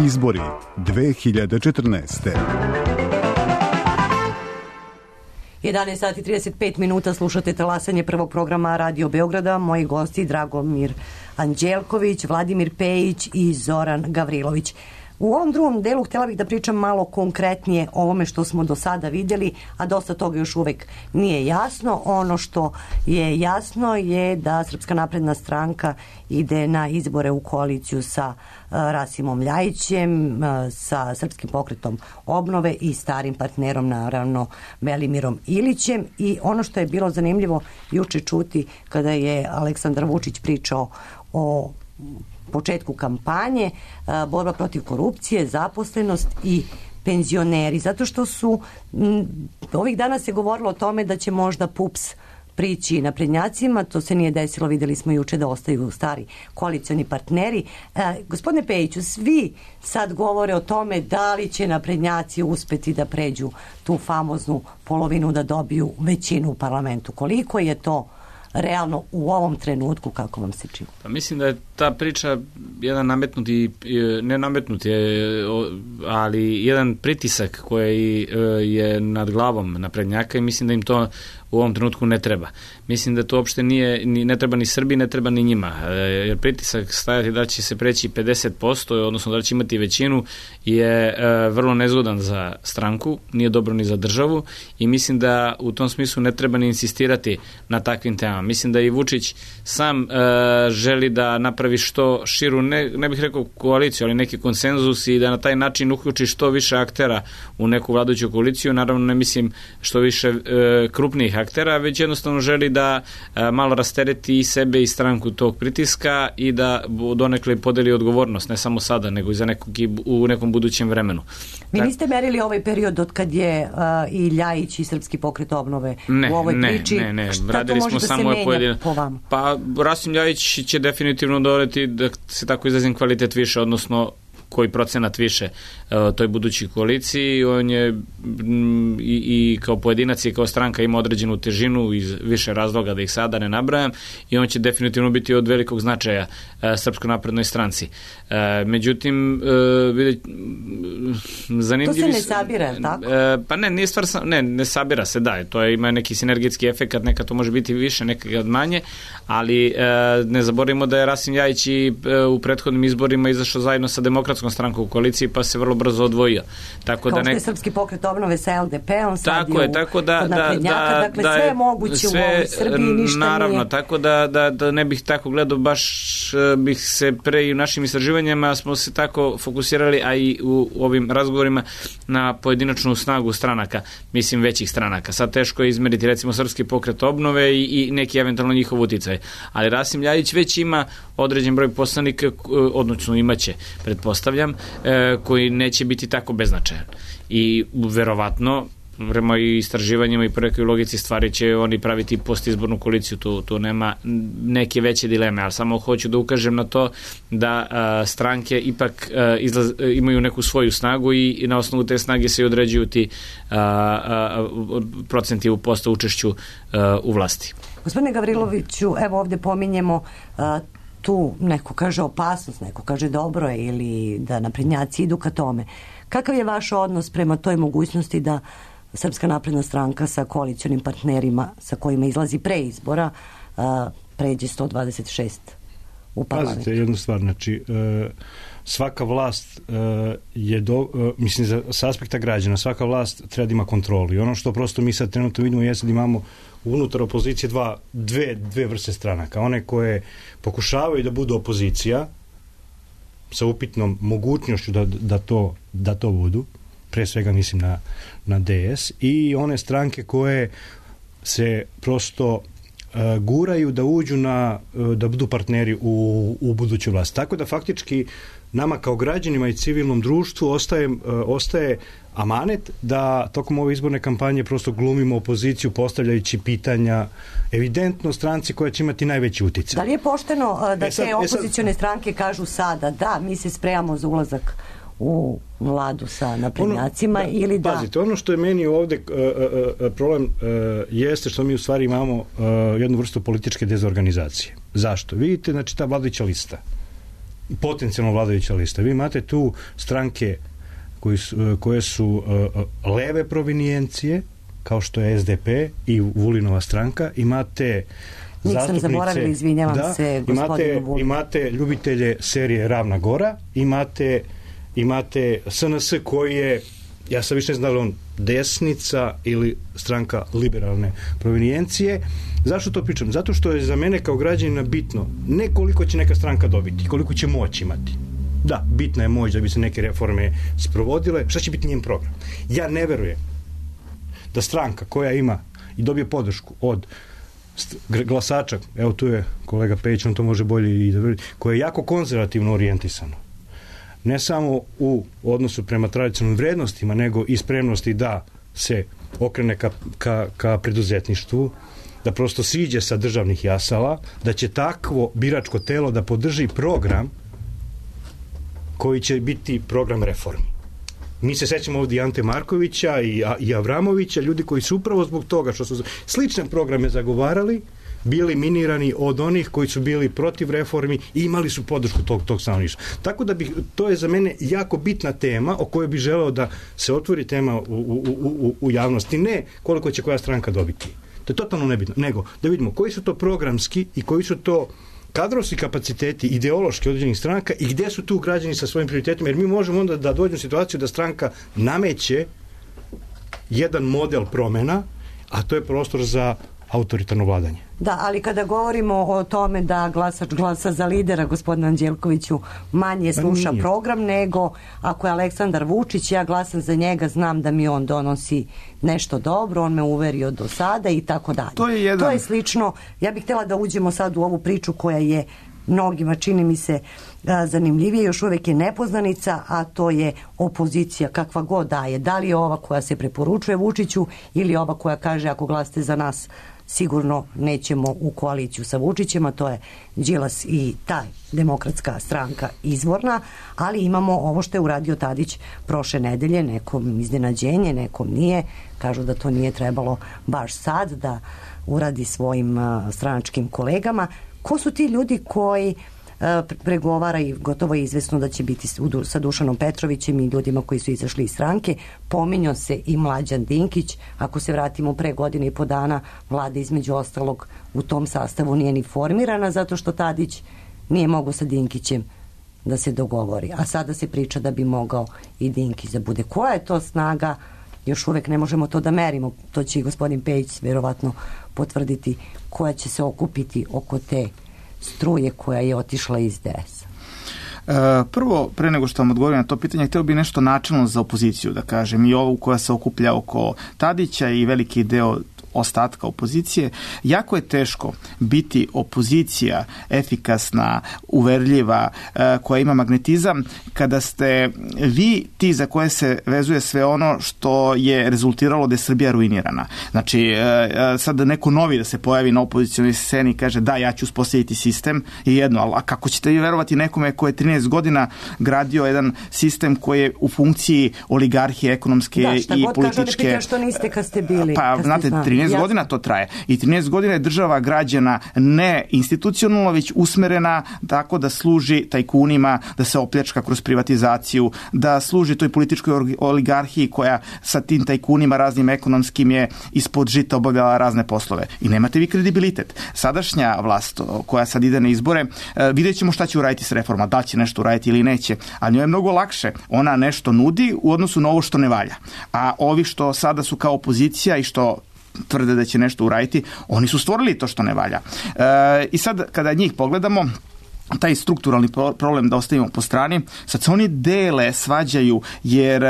Izbori dve hiljade četrnaeste. jedanaest sati i trideset pet minuta, slušate talasanje prvog programa Radio Beograda. Moji gosti Dragomir Anđelković, Vladimir Pejić i Zoran Gavrilović. U ovom drugom delu htjela bih da pričam malo konkretnije o ovome što smo do sada vidjeli, a dosta toga još uvek nije jasno. Ono što je jasno je da Srpska napredna stranka ide na izbore u koaliciju sa uh, Rasimom Ljajićem, uh, sa Srpskim pokretom obnove i starim partnerom, naravno, Velimirom Ilićem. I ono što je bilo zanimljivo juče čuti kada je Aleksandar Vučić pričao o početku kampanje, borba protiv korupcije, zaposlenost i penzioneri, zato što su m, ovih dana se govorilo o tome da će možda P U P S prići naprednjacima, to se nije desilo, videli smo juče da ostaju stari koalicioni partneri. E, gospodine Pejiću, svi sad govore o tome da li će naprednjaci uspeti da pređu tu famoznu polovinu, da dobiju većinu u parlamentu. Koliko je to realno u ovom trenutku, kako vam se čini? Pa mislim da je ta priča jedan nametnuti, ne nametnuti, ali jedan pritisak koji je nad glavom naprednjaka i mislim da im to u ovom trenutku ne treba. Mislim da to uopšte nije, ni, ne treba ni Srbiji, ne treba ni njima. Jer pritisak stajati da će se preći pedeset posto, odnosno da će imati većinu, je e, vrlo nezgodan za stranku, nije dobro ni za državu i mislim da u tom smislu ne treba ni insistirati na takvim temama. Mislim da i Vučić sam e, želi da napravi što širu, ne, ne bih rekao koaliciju, ali neki konsenzus i da na taj način uključi što više aktera u neku vladajuću koaliciju. Naravno ne mislim što više e, krupnijih aktera, već jednostavno želi da a, malo rastereti i sebe i stranku tog pritiska i da donekle podeli odgovornost, ne samo sada, nego i za nekog, u nekom budućem vremenu. Vi niste merili ovaj period od kad je a, i Ljajić i Srpski pokret obnove ne, u ovoj ne, priči? Ne, ne, Šta radili to može smo da samo se menja pojedine... po vama? Pa Rasim Ljajić će definitivno doneti, da se tako izrazim, kvalitet više, odnosno koji procenat više uh, toj budućoj koaliciji. On je m, i, i kao pojedinac i kao stranka ima određenu težinu iz više razloga da ih sada ne nabrajam i on će definitivno biti od velikog značaja uh, Srpskoj naprednoj stranci. Uh, međutim, uh, vidjet, zanimljivi... To se ne sabira, tako? Uh, pa ne, nije stvar, ne, ne sabira se, da, to je, ima neki sinergetski efekat, nekad to može biti više, nekad manje, ali uh, ne zaboravimo da je Rasim Ljajić i uh, u prethodnim izborima izašao zajedno sa Demokratskom stranku u koaliciji, pa se vrlo brzo odvojio. Tako Kao da što nek... je Srpski pokret obnove sa L D P-om, sad tako je, tako da, kod da, naprednjaka, dakle da, sve je moguće sve, u ovoj Srbiji, ništa naravno, nije. tako da, da, da ne bih tako gledao, baš bih se pre i u našim istraživanjima smo se tako fokusirali, a i u ovim razgovorima na pojedinačnu snagu stranaka, mislim većih stranaka. Sad teško je izmeriti recimo Srpski pokret obnove i, i neki eventualno njihov uticaj. Ali Rasim Ljajić već ima određen broj poslanika, odnosno imaće, pretpostavljam, koji neće biti tako beznačajan. I verovatno, prema i istraživanjima i prvekoj logici stvari će oni praviti postizbornu koaliciju, tu, tu nema neke veće dileme, ali samo hoću da ukažem na to da a, stranke ipak a, izlaz, imaju neku svoju snagu i, i na osnovu te snage se i određuju ti a, a, procenti u posto učešću a, u vlasti. Gospodine Gavriloviću, evo ovdje pominjemo a, tu neko kaže opasnost, neko kaže dobro ili da naprednjaci idu ka tome. Kakav je vaš odnos prema toj mogućnosti da Srpska napredna stranka sa koalicionim partnerima sa kojima izlazi pre izbora a, pređe sto dvadeset šest u parlamentu? Pazite jednu stvar, znači e, svaka vlast e, je do, e, mislim za, sa aspekta građana, svaka vlast treba da ima kontrolu i ono što prosto mi sad trenutno vidimo jeste da imamo unutar opozicije dva, dve, dve vrste stranaka. One koje pokušavaju da budu opozicija sa upitnom mogućnošću da, da, to, da to budu, pre svega mislim na, na D S, i one stranke koje se prosto uh, guraju da uđu na, uh, da budu partneri u, u budućoj vlasti. Tako da faktički nama kao građanima i civilnom društvu ostaje, uh, ostaje amanet da tokom ove izborne kampanje prosto glumimo opoziciju postavljajući pitanja evidentno stranci koja će imati najveći uticaj. Da li je pošteno uh, da e sad, te opozicione e sad... stranke kažu sada da, mi se spremamo za ulazak u vladu sa naprednjacima ono, ili da... Pazite, ono što je meni ovde uh, uh, problem uh, jeste što mi u stvari imamo uh, jednu vrstu političke dezorganizacije. Zašto? Vidite, znači ta vladajuća lista, potencijalno vladajuća lista, vi imate tu stranke koji su, uh, koje su uh, leve provinijencije, kao što je S D P i Vulinova stranka, imate Nisam zaboravila, izvinjavam da, se gospodinu Vulinu. Imate ljubitelje serije Ravna Gora, imate, imate S N S koji je, ja sam više ne znam da li on desnica ili stranka liberalne provinijencije. Zašto to pričam? Zato što je za mene kao građanina bitno ne koliko će neka stranka dobiti, koliko će moć imati. Da, bitna je moć da bi se neke reforme sprovodile. Šta će biti njen program? Ja ne verujem da stranka koja ima i dobije podršku od glasača, evo tu je kolega Pejić, on to može bolje i da vidi, koje je jako konzervativno orijentisano. Ne samo u odnosu prema tradicionalnim vrednostima, nego i spremnosti da se okrene ka, ka, ka preduzetništvu, da prosto siđe sa državnih jasala, da će takvo biračko telo da podrži program koji će biti program reformi. Mi se sećamo ovdje Ante Markovića i, i Avramovića, ljudi koji su upravo zbog toga što su slične programe zagovarali, bili minirani od onih koji su bili protiv reformi i imali su podršku tog, tog stanovništva. Tako da bi, to je za mene jako bitna tema o kojoj bi želeo da se otvori tema u, u, u, u javnosti. Ne koliko će koja stranka dobiti. To je totalno nebitno. Nego da vidimo koji su to programski i koji su to kadrovski kapaciteti, ideološki određenih stranaka i gdje su tu građani sa svojim prioritetima, jer mi možemo onda da dođemo u situaciju da stranka nameće jedan model promjena, a to je prostor za autoritarno vladanje. Da, ali kada govorimo o tome da glasač glasa za lidera, gospodina Anđelkoviću, manje sluša program nego ako je Aleksandar Vučić, ja glasam za njega, znam da mi on donosi nešto dobro, on me uverio do sada i tako dalje. To je jedan... To je slično, ja bih htjela da uđemo sad u ovu priču koja je mnogima, čini mi se, zanimljivije, još uvijek je nepoznanica, a to je opozicija kakva god daje. Da li je ova koja se preporučuje Vučiću ili ova koja kaže ako glasate za nas sigurno nećemo u koaliciju sa Vučićem, a to je Đilas i taj demokratska stranka izvorna, ali imamo ovo što je uradio Tadić prošle nedelje, nekom iznenađenje, nekom nije, kažu da to nije trebalo baš sad da uradi svojim uh, stranačkim kolegama. Ko su ti ljudi koji pregovara i gotovo je izvesno da će biti sa Dušanom Petrovićem i ljudima koji su izašli iz stranke? Pominjao se i Mlađan Dinkić. Ako se vratimo pre godine i po dana, vlada između ostalog u tom sastavu nije ni formirana zato što Tadić nije mogao sa Dinkićem da se dogovori. A sada se priča da bi mogao i Dinkić da bude. Koja je to snaga? Još uvek ne možemo to da merimo. To će i gospodin Pejić verovatno potvrditi, koja će se okupiti oko te struje koja je otišla iz D S A. Prvo, pre nego što vam odgovorim na to pitanje, htio bi nešto načelno za opoziciju da kažem, i ovu koja se okuplja oko Tadića i veliki deo ostatka opozicije. Jako je teško biti opozicija efikasna, uverljiva, koja ima magnetizam, kada ste vi ti za koje se vezuje sve ono što je rezultiralo da je Srbija ruinirana. Znači, sad neko novi da se pojavi na opozicionoj sceni i kaže da, ja ću uspostaviti sistem je jedno, ali kako ćete vi verovati nekome koji je trinaest godina gradio jedan sistem koji je u funkciji oligarhije ekonomske da, i političke. Da, šta god kažu, ne što niste kad ste bili. Pa, kad znate, trinaest godina to traje. I trinaest godina je država građana ne institucionalno, već usmerena tako da služi tajkunima, da se opljačka kroz privatizaciju, da služi toj političkoj oligarhiji koja sa tim tajkunima raznim ekonomskim je ispod žita obavljala razne poslove. I nemate vi kredibilitet. Sadašnja vlast koja sad ide na izbore, vidjet ćemo šta će uraditi s reforma, da će nešto uraditi ili neće, a njoj je mnogo lakše. Ona nešto nudi u odnosu na ovo što ne valja. A ovi što sada su kao opozicija i što tvrde da će nešto uraditi, oni su stvorili to što ne valja. E, I sad kada njih pogledamo, taj strukturalni problem da ostavimo po strani, sad se oni dele, svađaju, jer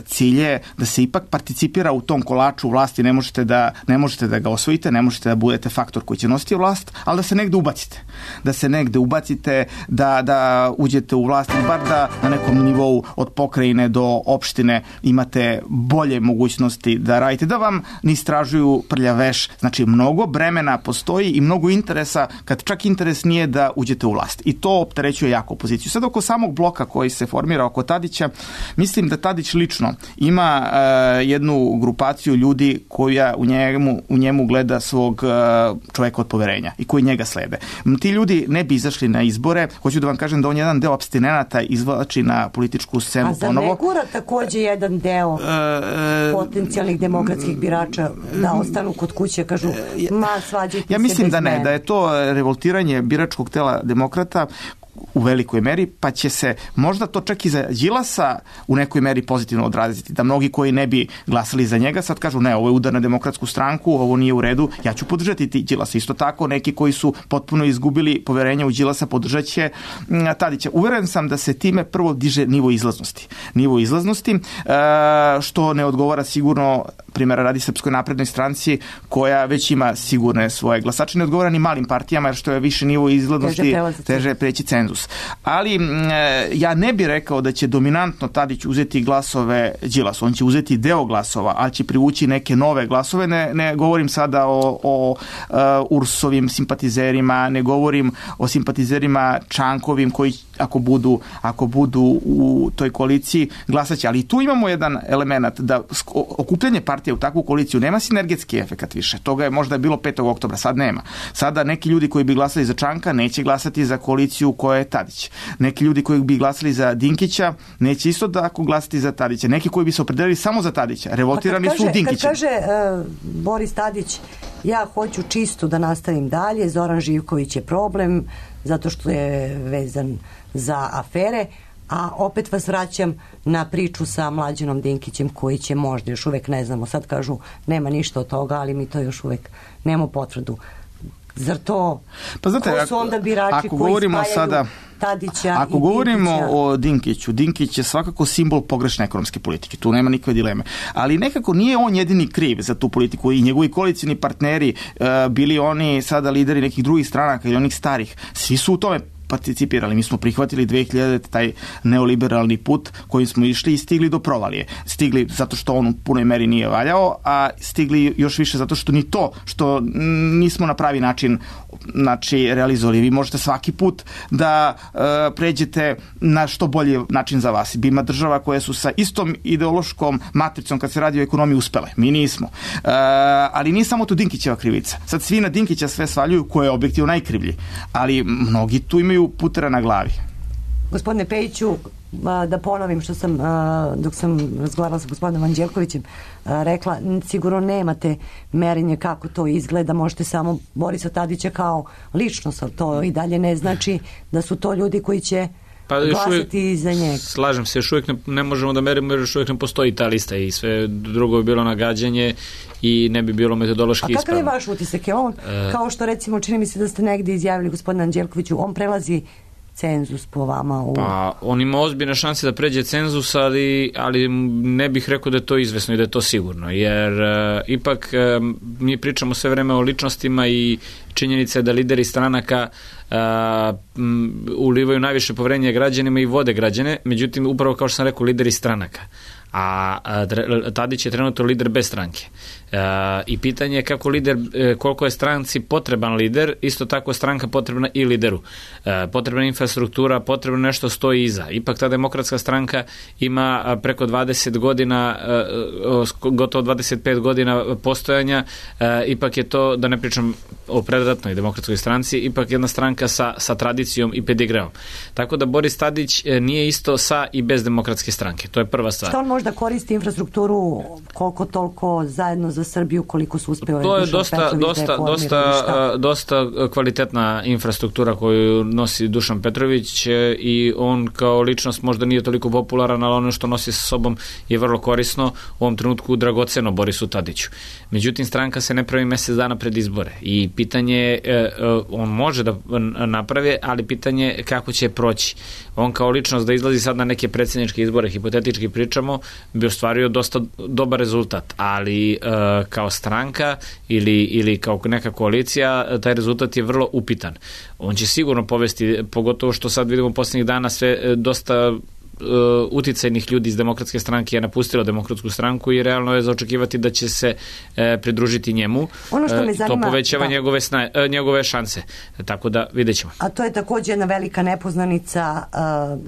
cilj je da se ipak participira u tom kolaču vlasti, ne možete da, ne možete da ga osvojite, ne možete da budete faktor koji će nositi vlast, ali da se negde ubacite. Da se negde ubacite, da, da uđete u vlast, bar da na nekom nivou od pokrajine do opštine imate bolje mogućnosti da radite, da vam ne istražuju prljav veš. Znači, mnogo bremena postoji i mnogo interesa, kad čak interes nije da uđete u vlast. I to opterećuje jako opoziciju. Sad oko samog bloka koji se formira oko Tadića, mislim da Tadić lično ima uh, jednu grupaciju ljudi koja u njemu, u njemu gleda svog uh, čoveka od poverenja i koji njega slede. Ti ljudi ne bi izašli na izbore. Hoću da vam kažem da on jedan deo apstinenata izvlači na političku scenu ponovo. A za ponovo. ne gura takođe jedan deo e, potencijalnih demokratskih birača da ostanu kod kuće, kažu ma svađajte se. Ja mislim bez da ne, mene. da je to revoltiranje biračkog tela demokrata u velikoj meri, pa će se možda to čak i za Đilasa u nekoj meri pozitivno odraziti, da mnogi koji ne bi glasali za njega sad kažu ne, ovo je udar na Demokratsku stranku, ovo nije u redu, ja ću podržati ti Đilasa. Isto tako, neki koji su potpuno izgubili poverenje u Đilasa podržat će Tadića. Uveren sam da se time prvo diže nivo izlaznosti. Nivo izlaznosti, što ne odgovara sigurno, primjera radi Srpskoj naprednoj stranci, koja već ima sigurne svoje glasače, ne odgovara ni malim partijama, jer što je više nivo izlaznosti, teže preći cenzus. Ali ja ne bih rekao da će dominantno Tadić uzeti glasove Đilasu. On će uzeti deo glasova, ali će privući neke nove glasove. Ne, ne govorim sada o, o uh, Ursovim simpatizerima, ne govorim o simpatizerima Čankovim koji ako budu, ako budu u toj koaliciji glasaće. Ali tu imamo jedan element da okupljanje partije u takvu koaliciju nema sinergetski efekat više. Toga je možda bilo petog oktobra, sad nema. Sada neki ljudi koji bi glasali za Čanka neće glasati za koaliciju koja je Tadić. Neki ljudi koji bi glasali za Dinkića neće isto tako glasati za Tadića. Neki koji bi se opredelili samo za Tadića, revoltirani kaže, su Dinkićem. Kad kaže uh, Boris Tadić, ja hoću čisto da nastavim dalje, Zoran Živković je problem zato što je vezan za afere, a opet vas vraćam na priču sa Mlađanom Dinkićem koji će možda, još uvek ne znamo, sad kažu nema ništa od toga, ali mi to još uvek nemamo potvrdu. Zar to, pa znate, ko su onda birači ako koji govorimo spajaju sada, Tadića ako i govorimo Dinkića? o Dinkiću, Dinkić je svakako simbol pogrešne ekonomske politike, tu nema nikakve dileme. Ali nekako nije on jedini kriv za tu politiku i njegovi koalicijni partneri, uh, bili oni sada lideri nekih drugih stranaka ili onih starih, svi su u tome participirali. Mi smo prihvatili dve hiljadite taj neoliberalni put kojim smo išli i stigli do provalije. Stigli zato što on u punoj meri nije valjao, a stigli još više zato što ni to što nismo na pravi način znači, realizovali. Vi možete svaki put da uh, pređete na što bolji način za vas. Ima država koje su sa istom ideološkom matricom kad se radi o ekonomiji uspele. Mi nismo. Uh, ali nije samo tu Dinkićeva krivica. Sad svi na Dinkića sve svaljuju ko je objektivno najkrivlji. Ali mnogi tu imaju putera na glavi. Gospodine Pejiću, da ponovim što sam, dok sam razgovarala sa gospodinom Anđelkovićem, rekla, sigurno nemate merenje kako to izgleda, možete samo Borisa Tadića kao ličnost, ali to i dalje ne znači da su to ljudi koji će pa glasati za njega. Slažem se, još uvijek ne, ne možemo da merimo jer još uvijek ne postoji ta lista i sve drugo bi bilo nagađanje i ne bi bilo metodološki ispravno. A kakav je vaš utisak? Je on, e... kao što recimo čini mi se da ste negdje izjavili gospodine Anđelkoviću, on prelazi cenzus po vama? U... Pa, on ima ozbiljne šanse da pređe cenzus, ali, ali ne bih rekao da je to izvesno i da je to sigurno, jer uh, ipak uh, mi pričamo sve vreme o ličnostima i činjenica je da lideri stranaka uh, m, ulivaju najviše poverenje građanima i vode građane, međutim, upravo kao što sam rekao, lideri stranaka. A, a Tadić je trenutno lider bez stranke. E, i pitanje je kako lider, e, koliko je stranci potreban lider, isto tako stranka potrebna i lideru. E, potrebna infrastruktura, potrebno nešto stoji iza. Ipak ta demokratska stranka ima preko dvadeset godina, e, gotovo dvadeset pet godina postojanja, e, ipak je to, da ne pričam o predratnoj demokratskoj stranci, ipak jedna stranka sa, sa tradicijom i pedigreom. Tako da Boris Tadić nije isto sa i bez demokratske stranke. To je prva stvar. Što on možda koristi infrastrukturu koliko toliko zajedno za Srbiju, koliko su uspjeli? To je dosta, dosta, dosta, dosta kvalitetna infrastruktura koju nosi Dušan Petrović i on kao ličnost možda nije toliko popularan, ali ono što nosi sa sobom je vrlo korisno, u ovom trenutku dragoceno Borisu Tadiću. Međutim, stranka se ne pravi mjesec dana pred izbore i pitanje je, on može da napravi, ali pitanje je kako će proći. On kao ličnost da izlazi sad na neke predsjedničke izbore, hipotetički pričamo, bi ostvario dosta dobar rezultat, ali uh, kao stranka ili, ili kao neka koalicija, taj rezultat je vrlo upitan. On će sigurno povesti, pogotovo što sad vidimo posljednjih dana sve dosta uticajnih ljudi iz demokratske stranke je napustilo demokratsku stranku i realno je za očekivati da će se e, pridružiti njemu. Ono što me zanima, to povećava da. njegove, sna, e, njegove šanse. Tako da vidjet ćemo. A to je također jedna velika nepoznanica, uh,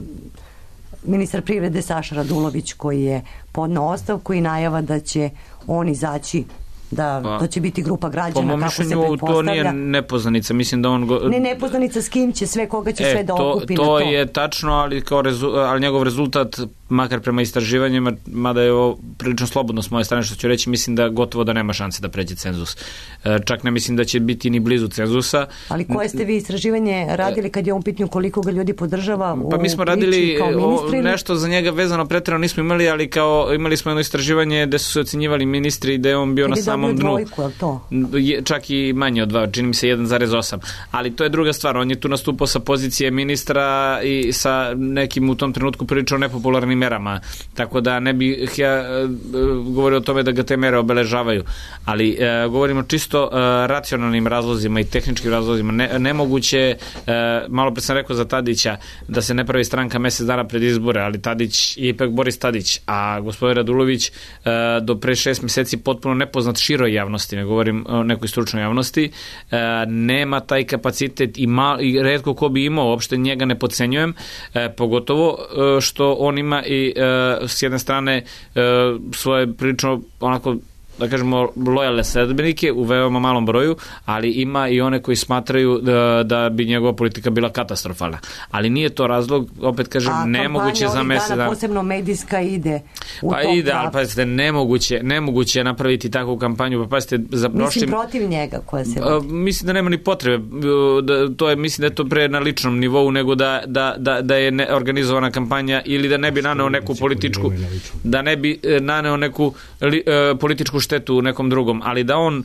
ministar privrede Saša Radulović koji je podneo ostavku i najava da će on izaći, da pa, to će biti grupa građana, kako se pretpostavlja. To nije nepoznanica, mislim da on... Go... Ne nepoznanica s kim će sve, koga će e, sve da to, okupi to na to. To je tačno, ali, kao rezu, ali njegov rezultat, makar prema istraživanjima, mada je ovo prilično slobodno s moje strane što ću reći, mislim da gotovo da nema šanse da pređe cenzus. E, čak ne mislim da će biti ni blizu cenzusa. Ali koje ste vi istraživanje radili kad je on pitnju koliko ga ljudi podržava u Pa mi smo radili o, nešto za njega vezano pretjerano nismo imali, ali kao imali smo jedno istraživanje gde su se ocenjivali ministri i gde je on bio kad na samom dnu. Dvojku, je to? Je, čak i manje od dva, čini mi se jedan zarez osam. Ali to je druga stvar, on je tu nastupao sa pozicije ministra i sa nekim u tom trenutku prilično nepopularnim merama, tako da ne bih ja e, govorio o tome da ga te mere obeležavaju, ali e, govorimo čisto e, racionalnim razlozima i tehničkim razlozima. Ne, nemoguće, e, malo pre sam rekao za Tadića da se ne pravi stranka mesec dana pred izbore, ali Tadić je ipak Boris Tadić, a gospodin Radulović e, do pre šest meseci potpuno nepoznat široj javnosti, ne govorim o nekoj stručnoj javnosti, e, nema taj kapacitet i, mal, i retko ko bi imao, uopšte njega ne podcenjujem, e, pogotovo e, što on ima i e, s jedne strane e, svoje prilično onako da kažemo lojalne sledbenike u veoma malom broju, ali ima i one koji smatraju da, da bi njegova politika bila katastrofalna. Ali nije to razlog, opet kažem, a nemoguće za mesec dana. A posebno medijska ide u pa tom ide, ali pazite, nemoguće, nemoguće je napraviti takvu kampanju, pa pazite, za prošlim... Mislim protiv njega koja se... A, mislim da nema ni potrebe, da, to je, mislim da je to pre na ličnom nivou nego da, da, da, da je ne, organizovana kampanja ili da ne bi naneo neku političku, da ne bi naneo neku li, uh, političku štetu u nekom drugom, ali da on,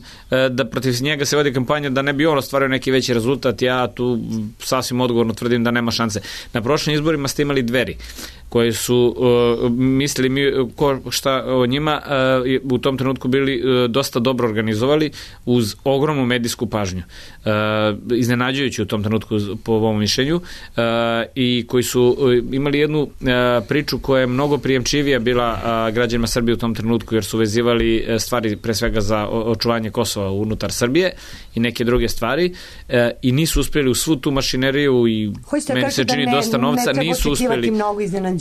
da protiv njega se vodi kampanja, da ne bi on ostvario neki veći rezultat, ja tu sasvim odgovorno tvrdim da nema šanse. Na prošlim izborima ste imali Dveri koji su uh, mislili mi ko, šta o njima uh, u tom trenutku bili uh, dosta dobro organizovali uz ogromnu medijsku pažnju. Uh, iznenađujući u tom trenutku po ovom mišljenju uh, i koji su uh, imali jednu uh, priču koja je mnogo prijemčivija bila uh, građanima Srbije u tom trenutku jer su vezivali uh, stvari pre svega za očuvanje Kosova unutar Srbije i neke druge stvari uh, i nisu uspjeli u svu tu mašineriju i meni se čini da ne, dosta novca, ne nisu uspjeli. Mnogo iznenađenja.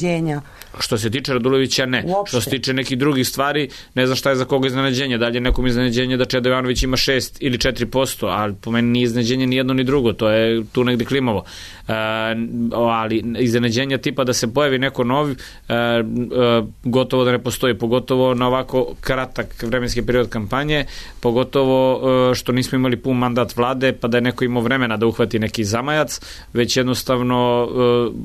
Što se tiče Radulovića, ne. Uopšte. Što se tiče nekih drugih stvari, ne znam šta je za koga iznenađenje. Da li je nekom iznenađenje da Čedo Jovanović ima šest ili četiri posto, ali po meni nije iznenađenje ni jedno ni drugo. To je tu negde klimovo. E, ali iznenađenja tipa da se pojavi neko novi, e, e, gotovo da ne postoji. Pogotovo na ovako kratak vremenski period kampanje, pogotovo e, što nismo imali pun mandat vlade, pa da je neko imao vremena da uhvati neki zamajac, već jednostavno e,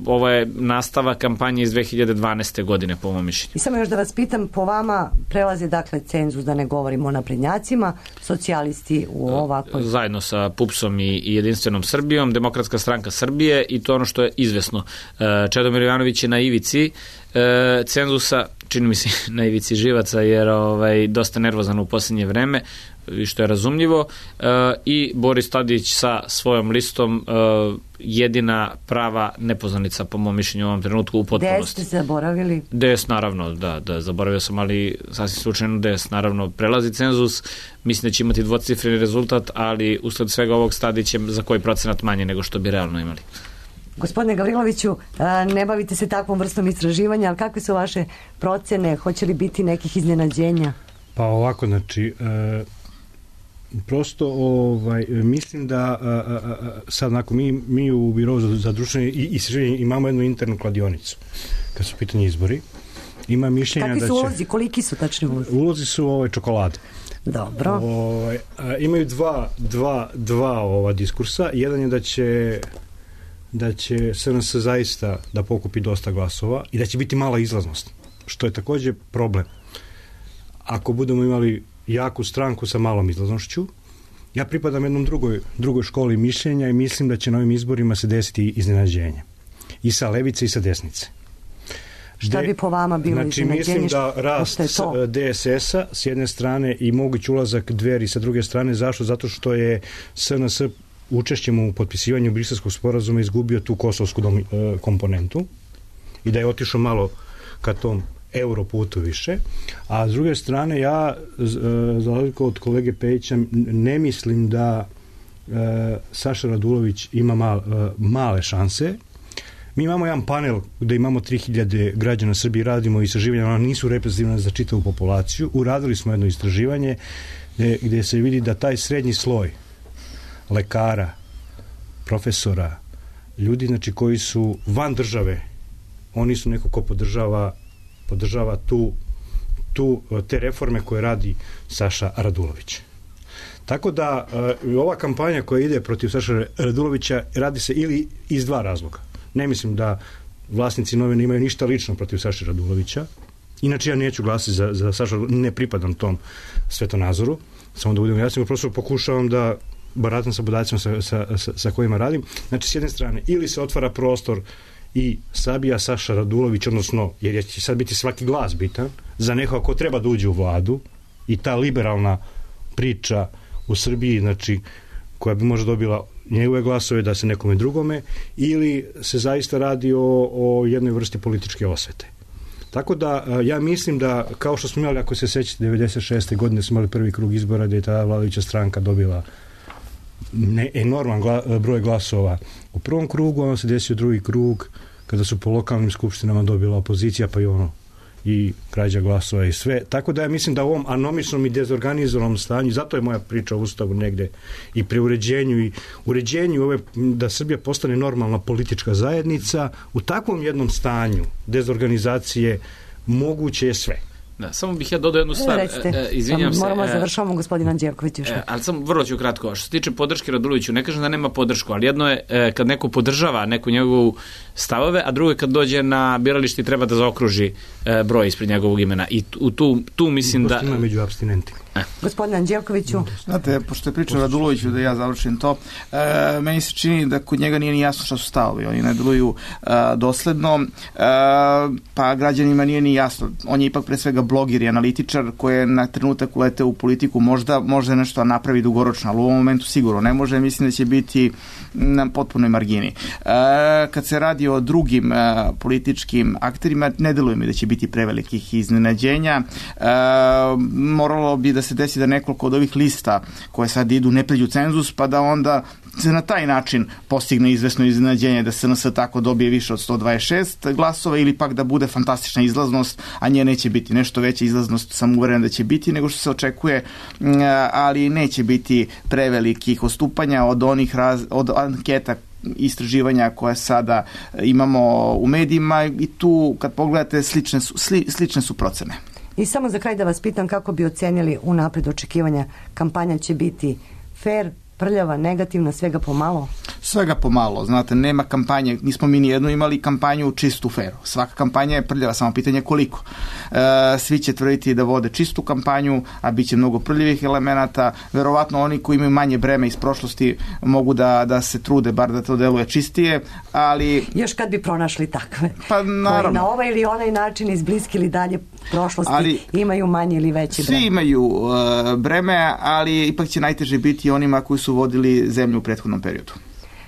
ovo je nastava kampanje iz dve hiljade dvanaeste. godine, po mom mišljenju. I samo još da vas pitam, po vama prelazi dakle cenzus, da ne govorimo o naprednjacima, socijalisti u ovakvoj... Zajedno sa PUPS-om i, i Jedinstvenom Srbijom, Demokratska stranka Srbije i to ono što je izvesno. Čedomir Jovanović je na ivici cenzusa, čini mi se na ivici živaca, jer ovaj, dosta nervozan u posljednje vreme, i što je razumljivo, e, i Boris Tadić sa svojom listom e, jedina prava nepoznanica po mom mišljenju u ovom trenutku u potpunosti. D S ste zaboravili? D S naravno, da, da, zaboravio sam, ali sasvim slučajno D S naravno prelazi cenzus, mislim da će imati dvocifreni rezultat, ali usled svega ovog Tadić će za koji procenat manje nego što bi realno imali. Gospodine Gavriloviću, ne bavite se takvom vrstom istraživanja, ali kakve su vaše procene? Hoće li biti nekih iznenađenja? Pa ovako, znači, e, prosto ovaj, mislim da a, a, a, sad nakon mi, mi u Birovu za, za društvene istraživanje imamo jednu internu kladionicu kad su pitanje izbori. Ima mišljenja da će... Kakvi su ulozi? Koliki su tačni ulozi? Ulozi su ovaj, čokolade. Dobro. Ovaj, a, imaju dva, dva, dva ova diskursa. Jedan je da će da će S N S zaista da pokupi dosta glasova i da će biti mala izlaznost, što je također problem. Ako budemo imali jaku stranku sa malom izlaznošću, ja pripadam jednom drugoj, drugoj školi mišljenja i mislim da će na ovim izborima se desiti iznenađenje. I sa levice i sa desnice. Šta bi po vama bilo znači, iznenađenje? Mislim da rast D S S-a s jedne strane i mogući ulazak Dveri sa druge strane. Zašto? Zato što je S N S učešćem u potpisivanju Briselskog sporazuma izgubio tu kosovsku domi, komponentu i da je otišao malo ka tom euro putu više, a s druge strane ja za razliku od kolege Pejića ne mislim da e, Saša Radulović ima mal, e, male šanse. Mi imamo jedan panel gde imamo tri hiljade građana Srbije, radimo istraživanja, ona nisu reprezentativna za čitavu populaciju. Uradili smo jedno istraživanje gde, gde se vidi da taj srednji sloj lekara, profesora, ljudi znači koji su van države, oni su neko ko podržava podržava tu, tu te reforme koje radi Saša Radulović. Tako da uh, ova kampanja koja ide protiv Saša Radulovića radi se ili iz dva razloga. Ne mislim da vlasnici novina imaju ništa lično protiv Saša Radulovića. Inače ja neću glasiti za, za Saša, ne pripadam tom svetonazoru. Samo da budem jasno, prosto pokušavam da baratam sa podacima sa, sa, sa, sa kojima radim. Znači, s jedne strane, ili se otvara prostor i sabija Saša Radulović, odnosno, jer će sad biti svaki glas bitan, za nekoga ko treba da uđe u vladu i ta liberalna priča u Srbiji, znači, koja bi možda dobila njegove glasove da se nekome drugome, ili se zaista radi o, o jednoj vrsti političke osvete. Tako da, ja mislim da, kao što smo imali, ako se sećate, devedeset šeste godine smo imali prvi krug izbora gde je ta vladajuća stranka dobila ne, enorman gla, broj glasova u prvom krugu, ono se desio drugi krug kada su po lokalnim skupštinama dobila opozicija, pa i ono i krađa glasova i sve. Tako da ja mislim da u ovom anomičnom i dezorganizovanom stanju, zato je moja priča o Ustavu negde i pri uređenju i uređenju ove, da Srbija postane normalna politička zajednica, u takvom jednom stanju dezorganizacije moguće je sve. Da, samo bih ja dodao jednu stvar. Recite, e, izvinjam se. Moramo završavamo gospodin Anđelković još. E, ali samo vrlo ću kratko. Što se tiče podrške Raduloviću, ne kažem da nema podršku, ali jedno je e, kad neko podržava neku njegovu stavove, a drugo je kad dođe na biralište i treba da zaokruži e, broj ispred njegovog imena. I tu, tu, tu mislim da... Ima među abstinentima. E. Gospodin Anđelkoviću. Znate, pošto je pričao Raduloviću, da ja završim to, e, meni se čini da kod njega nije ni jasno šta su stavovi. Oni ne deluju e, dosledno, e, pa građanima nije ni jasno. On je ipak pre svega blogir i analitičar koji je na trenutak ulete u politiku, možda može nešto napravi dugoročno, ali u ovom momentu sigurno ne može, mislim da će biti na potpunoj margini. E, kad se radi o drugim e, političkim akterima, ne deluje mi da će biti prevelikih iznenađenja. E, moralo bi da se desi da nekoliko od ovih lista koje sad idu ne pređu cenzus, pa da onda se na taj način postigne izvesno iznenađenje da se en es tako dobije više od sto dvadeset šest glasova ili pak da bude fantastična izlaznost, a nje neće biti nešto veća izlaznost, sam uveren da će biti nego što se očekuje, ali neće biti prevelikih odstupanja od onih raz, od anketa istraživanja koje sada imamo u medijima i tu kad pogledate slične su, sli, slične su procene. I samo za kraj da vas pitam kako bi ocenili unapred očekivanja, kampanja će biti fair, prljava, negativna, svega pomalo? Svega pomalo, znate, nema kampanje, nismo mi nijedno imali kampanju čistu feru. Svaka kampanja je prljava, samo pitanje koliko. E, svi će tvrditi da vode čistu kampanju, a bit će mnogo prljivih elemenata. Verovatno oni koji imaju manje breme iz prošlosti mogu da, da se trude, bar da to deluje čistije, ali... Još kad bi pronašli takve, pa, naravno, koji na ovaj ili onaj način iz bliske ili dalje prošlosti ali, imaju manje ili veće breme. Svi imaju uh, breme, ali ipak će najteže biti onima koji su vodili zemlju u prethodnom periodu.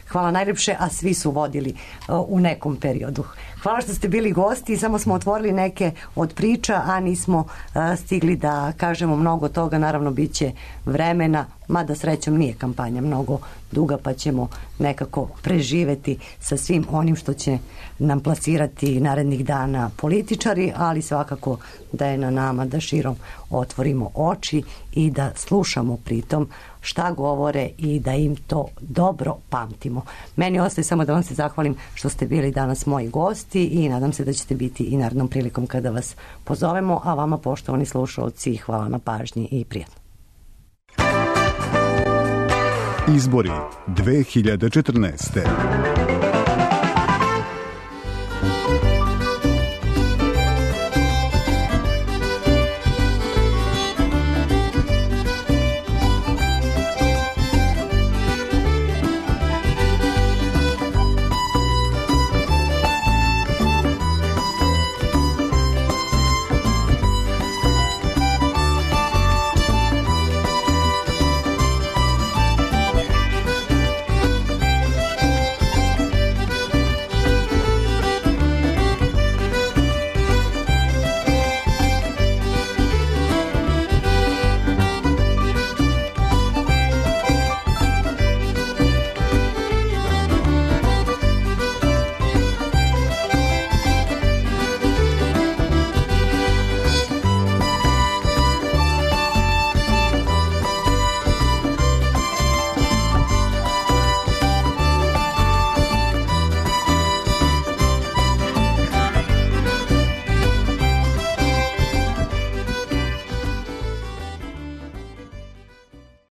Hvala najljepše, a svi su vodili uh, u nekom periodu. Hvala što ste bili gosti, samo smo otvorili neke od priča, a nismo uh, stigli da kažemo mnogo toga, naravno bit će vremena, mada srećom nije kampanja mnogo duga, pa ćemo nekako preživeti sa svim onim što će nam plasirati narednih dana političari, ali svakako da je na nama da širom otvorimo oči i da slušamo pritom šta govore i da im to dobro pamtimo. Meni ostaje samo da vam se zahvalim što ste bili danas moji gosti i nadam se da ćete biti i narednom prilikom kada vas pozovemo, a vama poštovani slušalci hvala na pažnji i prijatno. Izbori dve hiljade četrnaeste.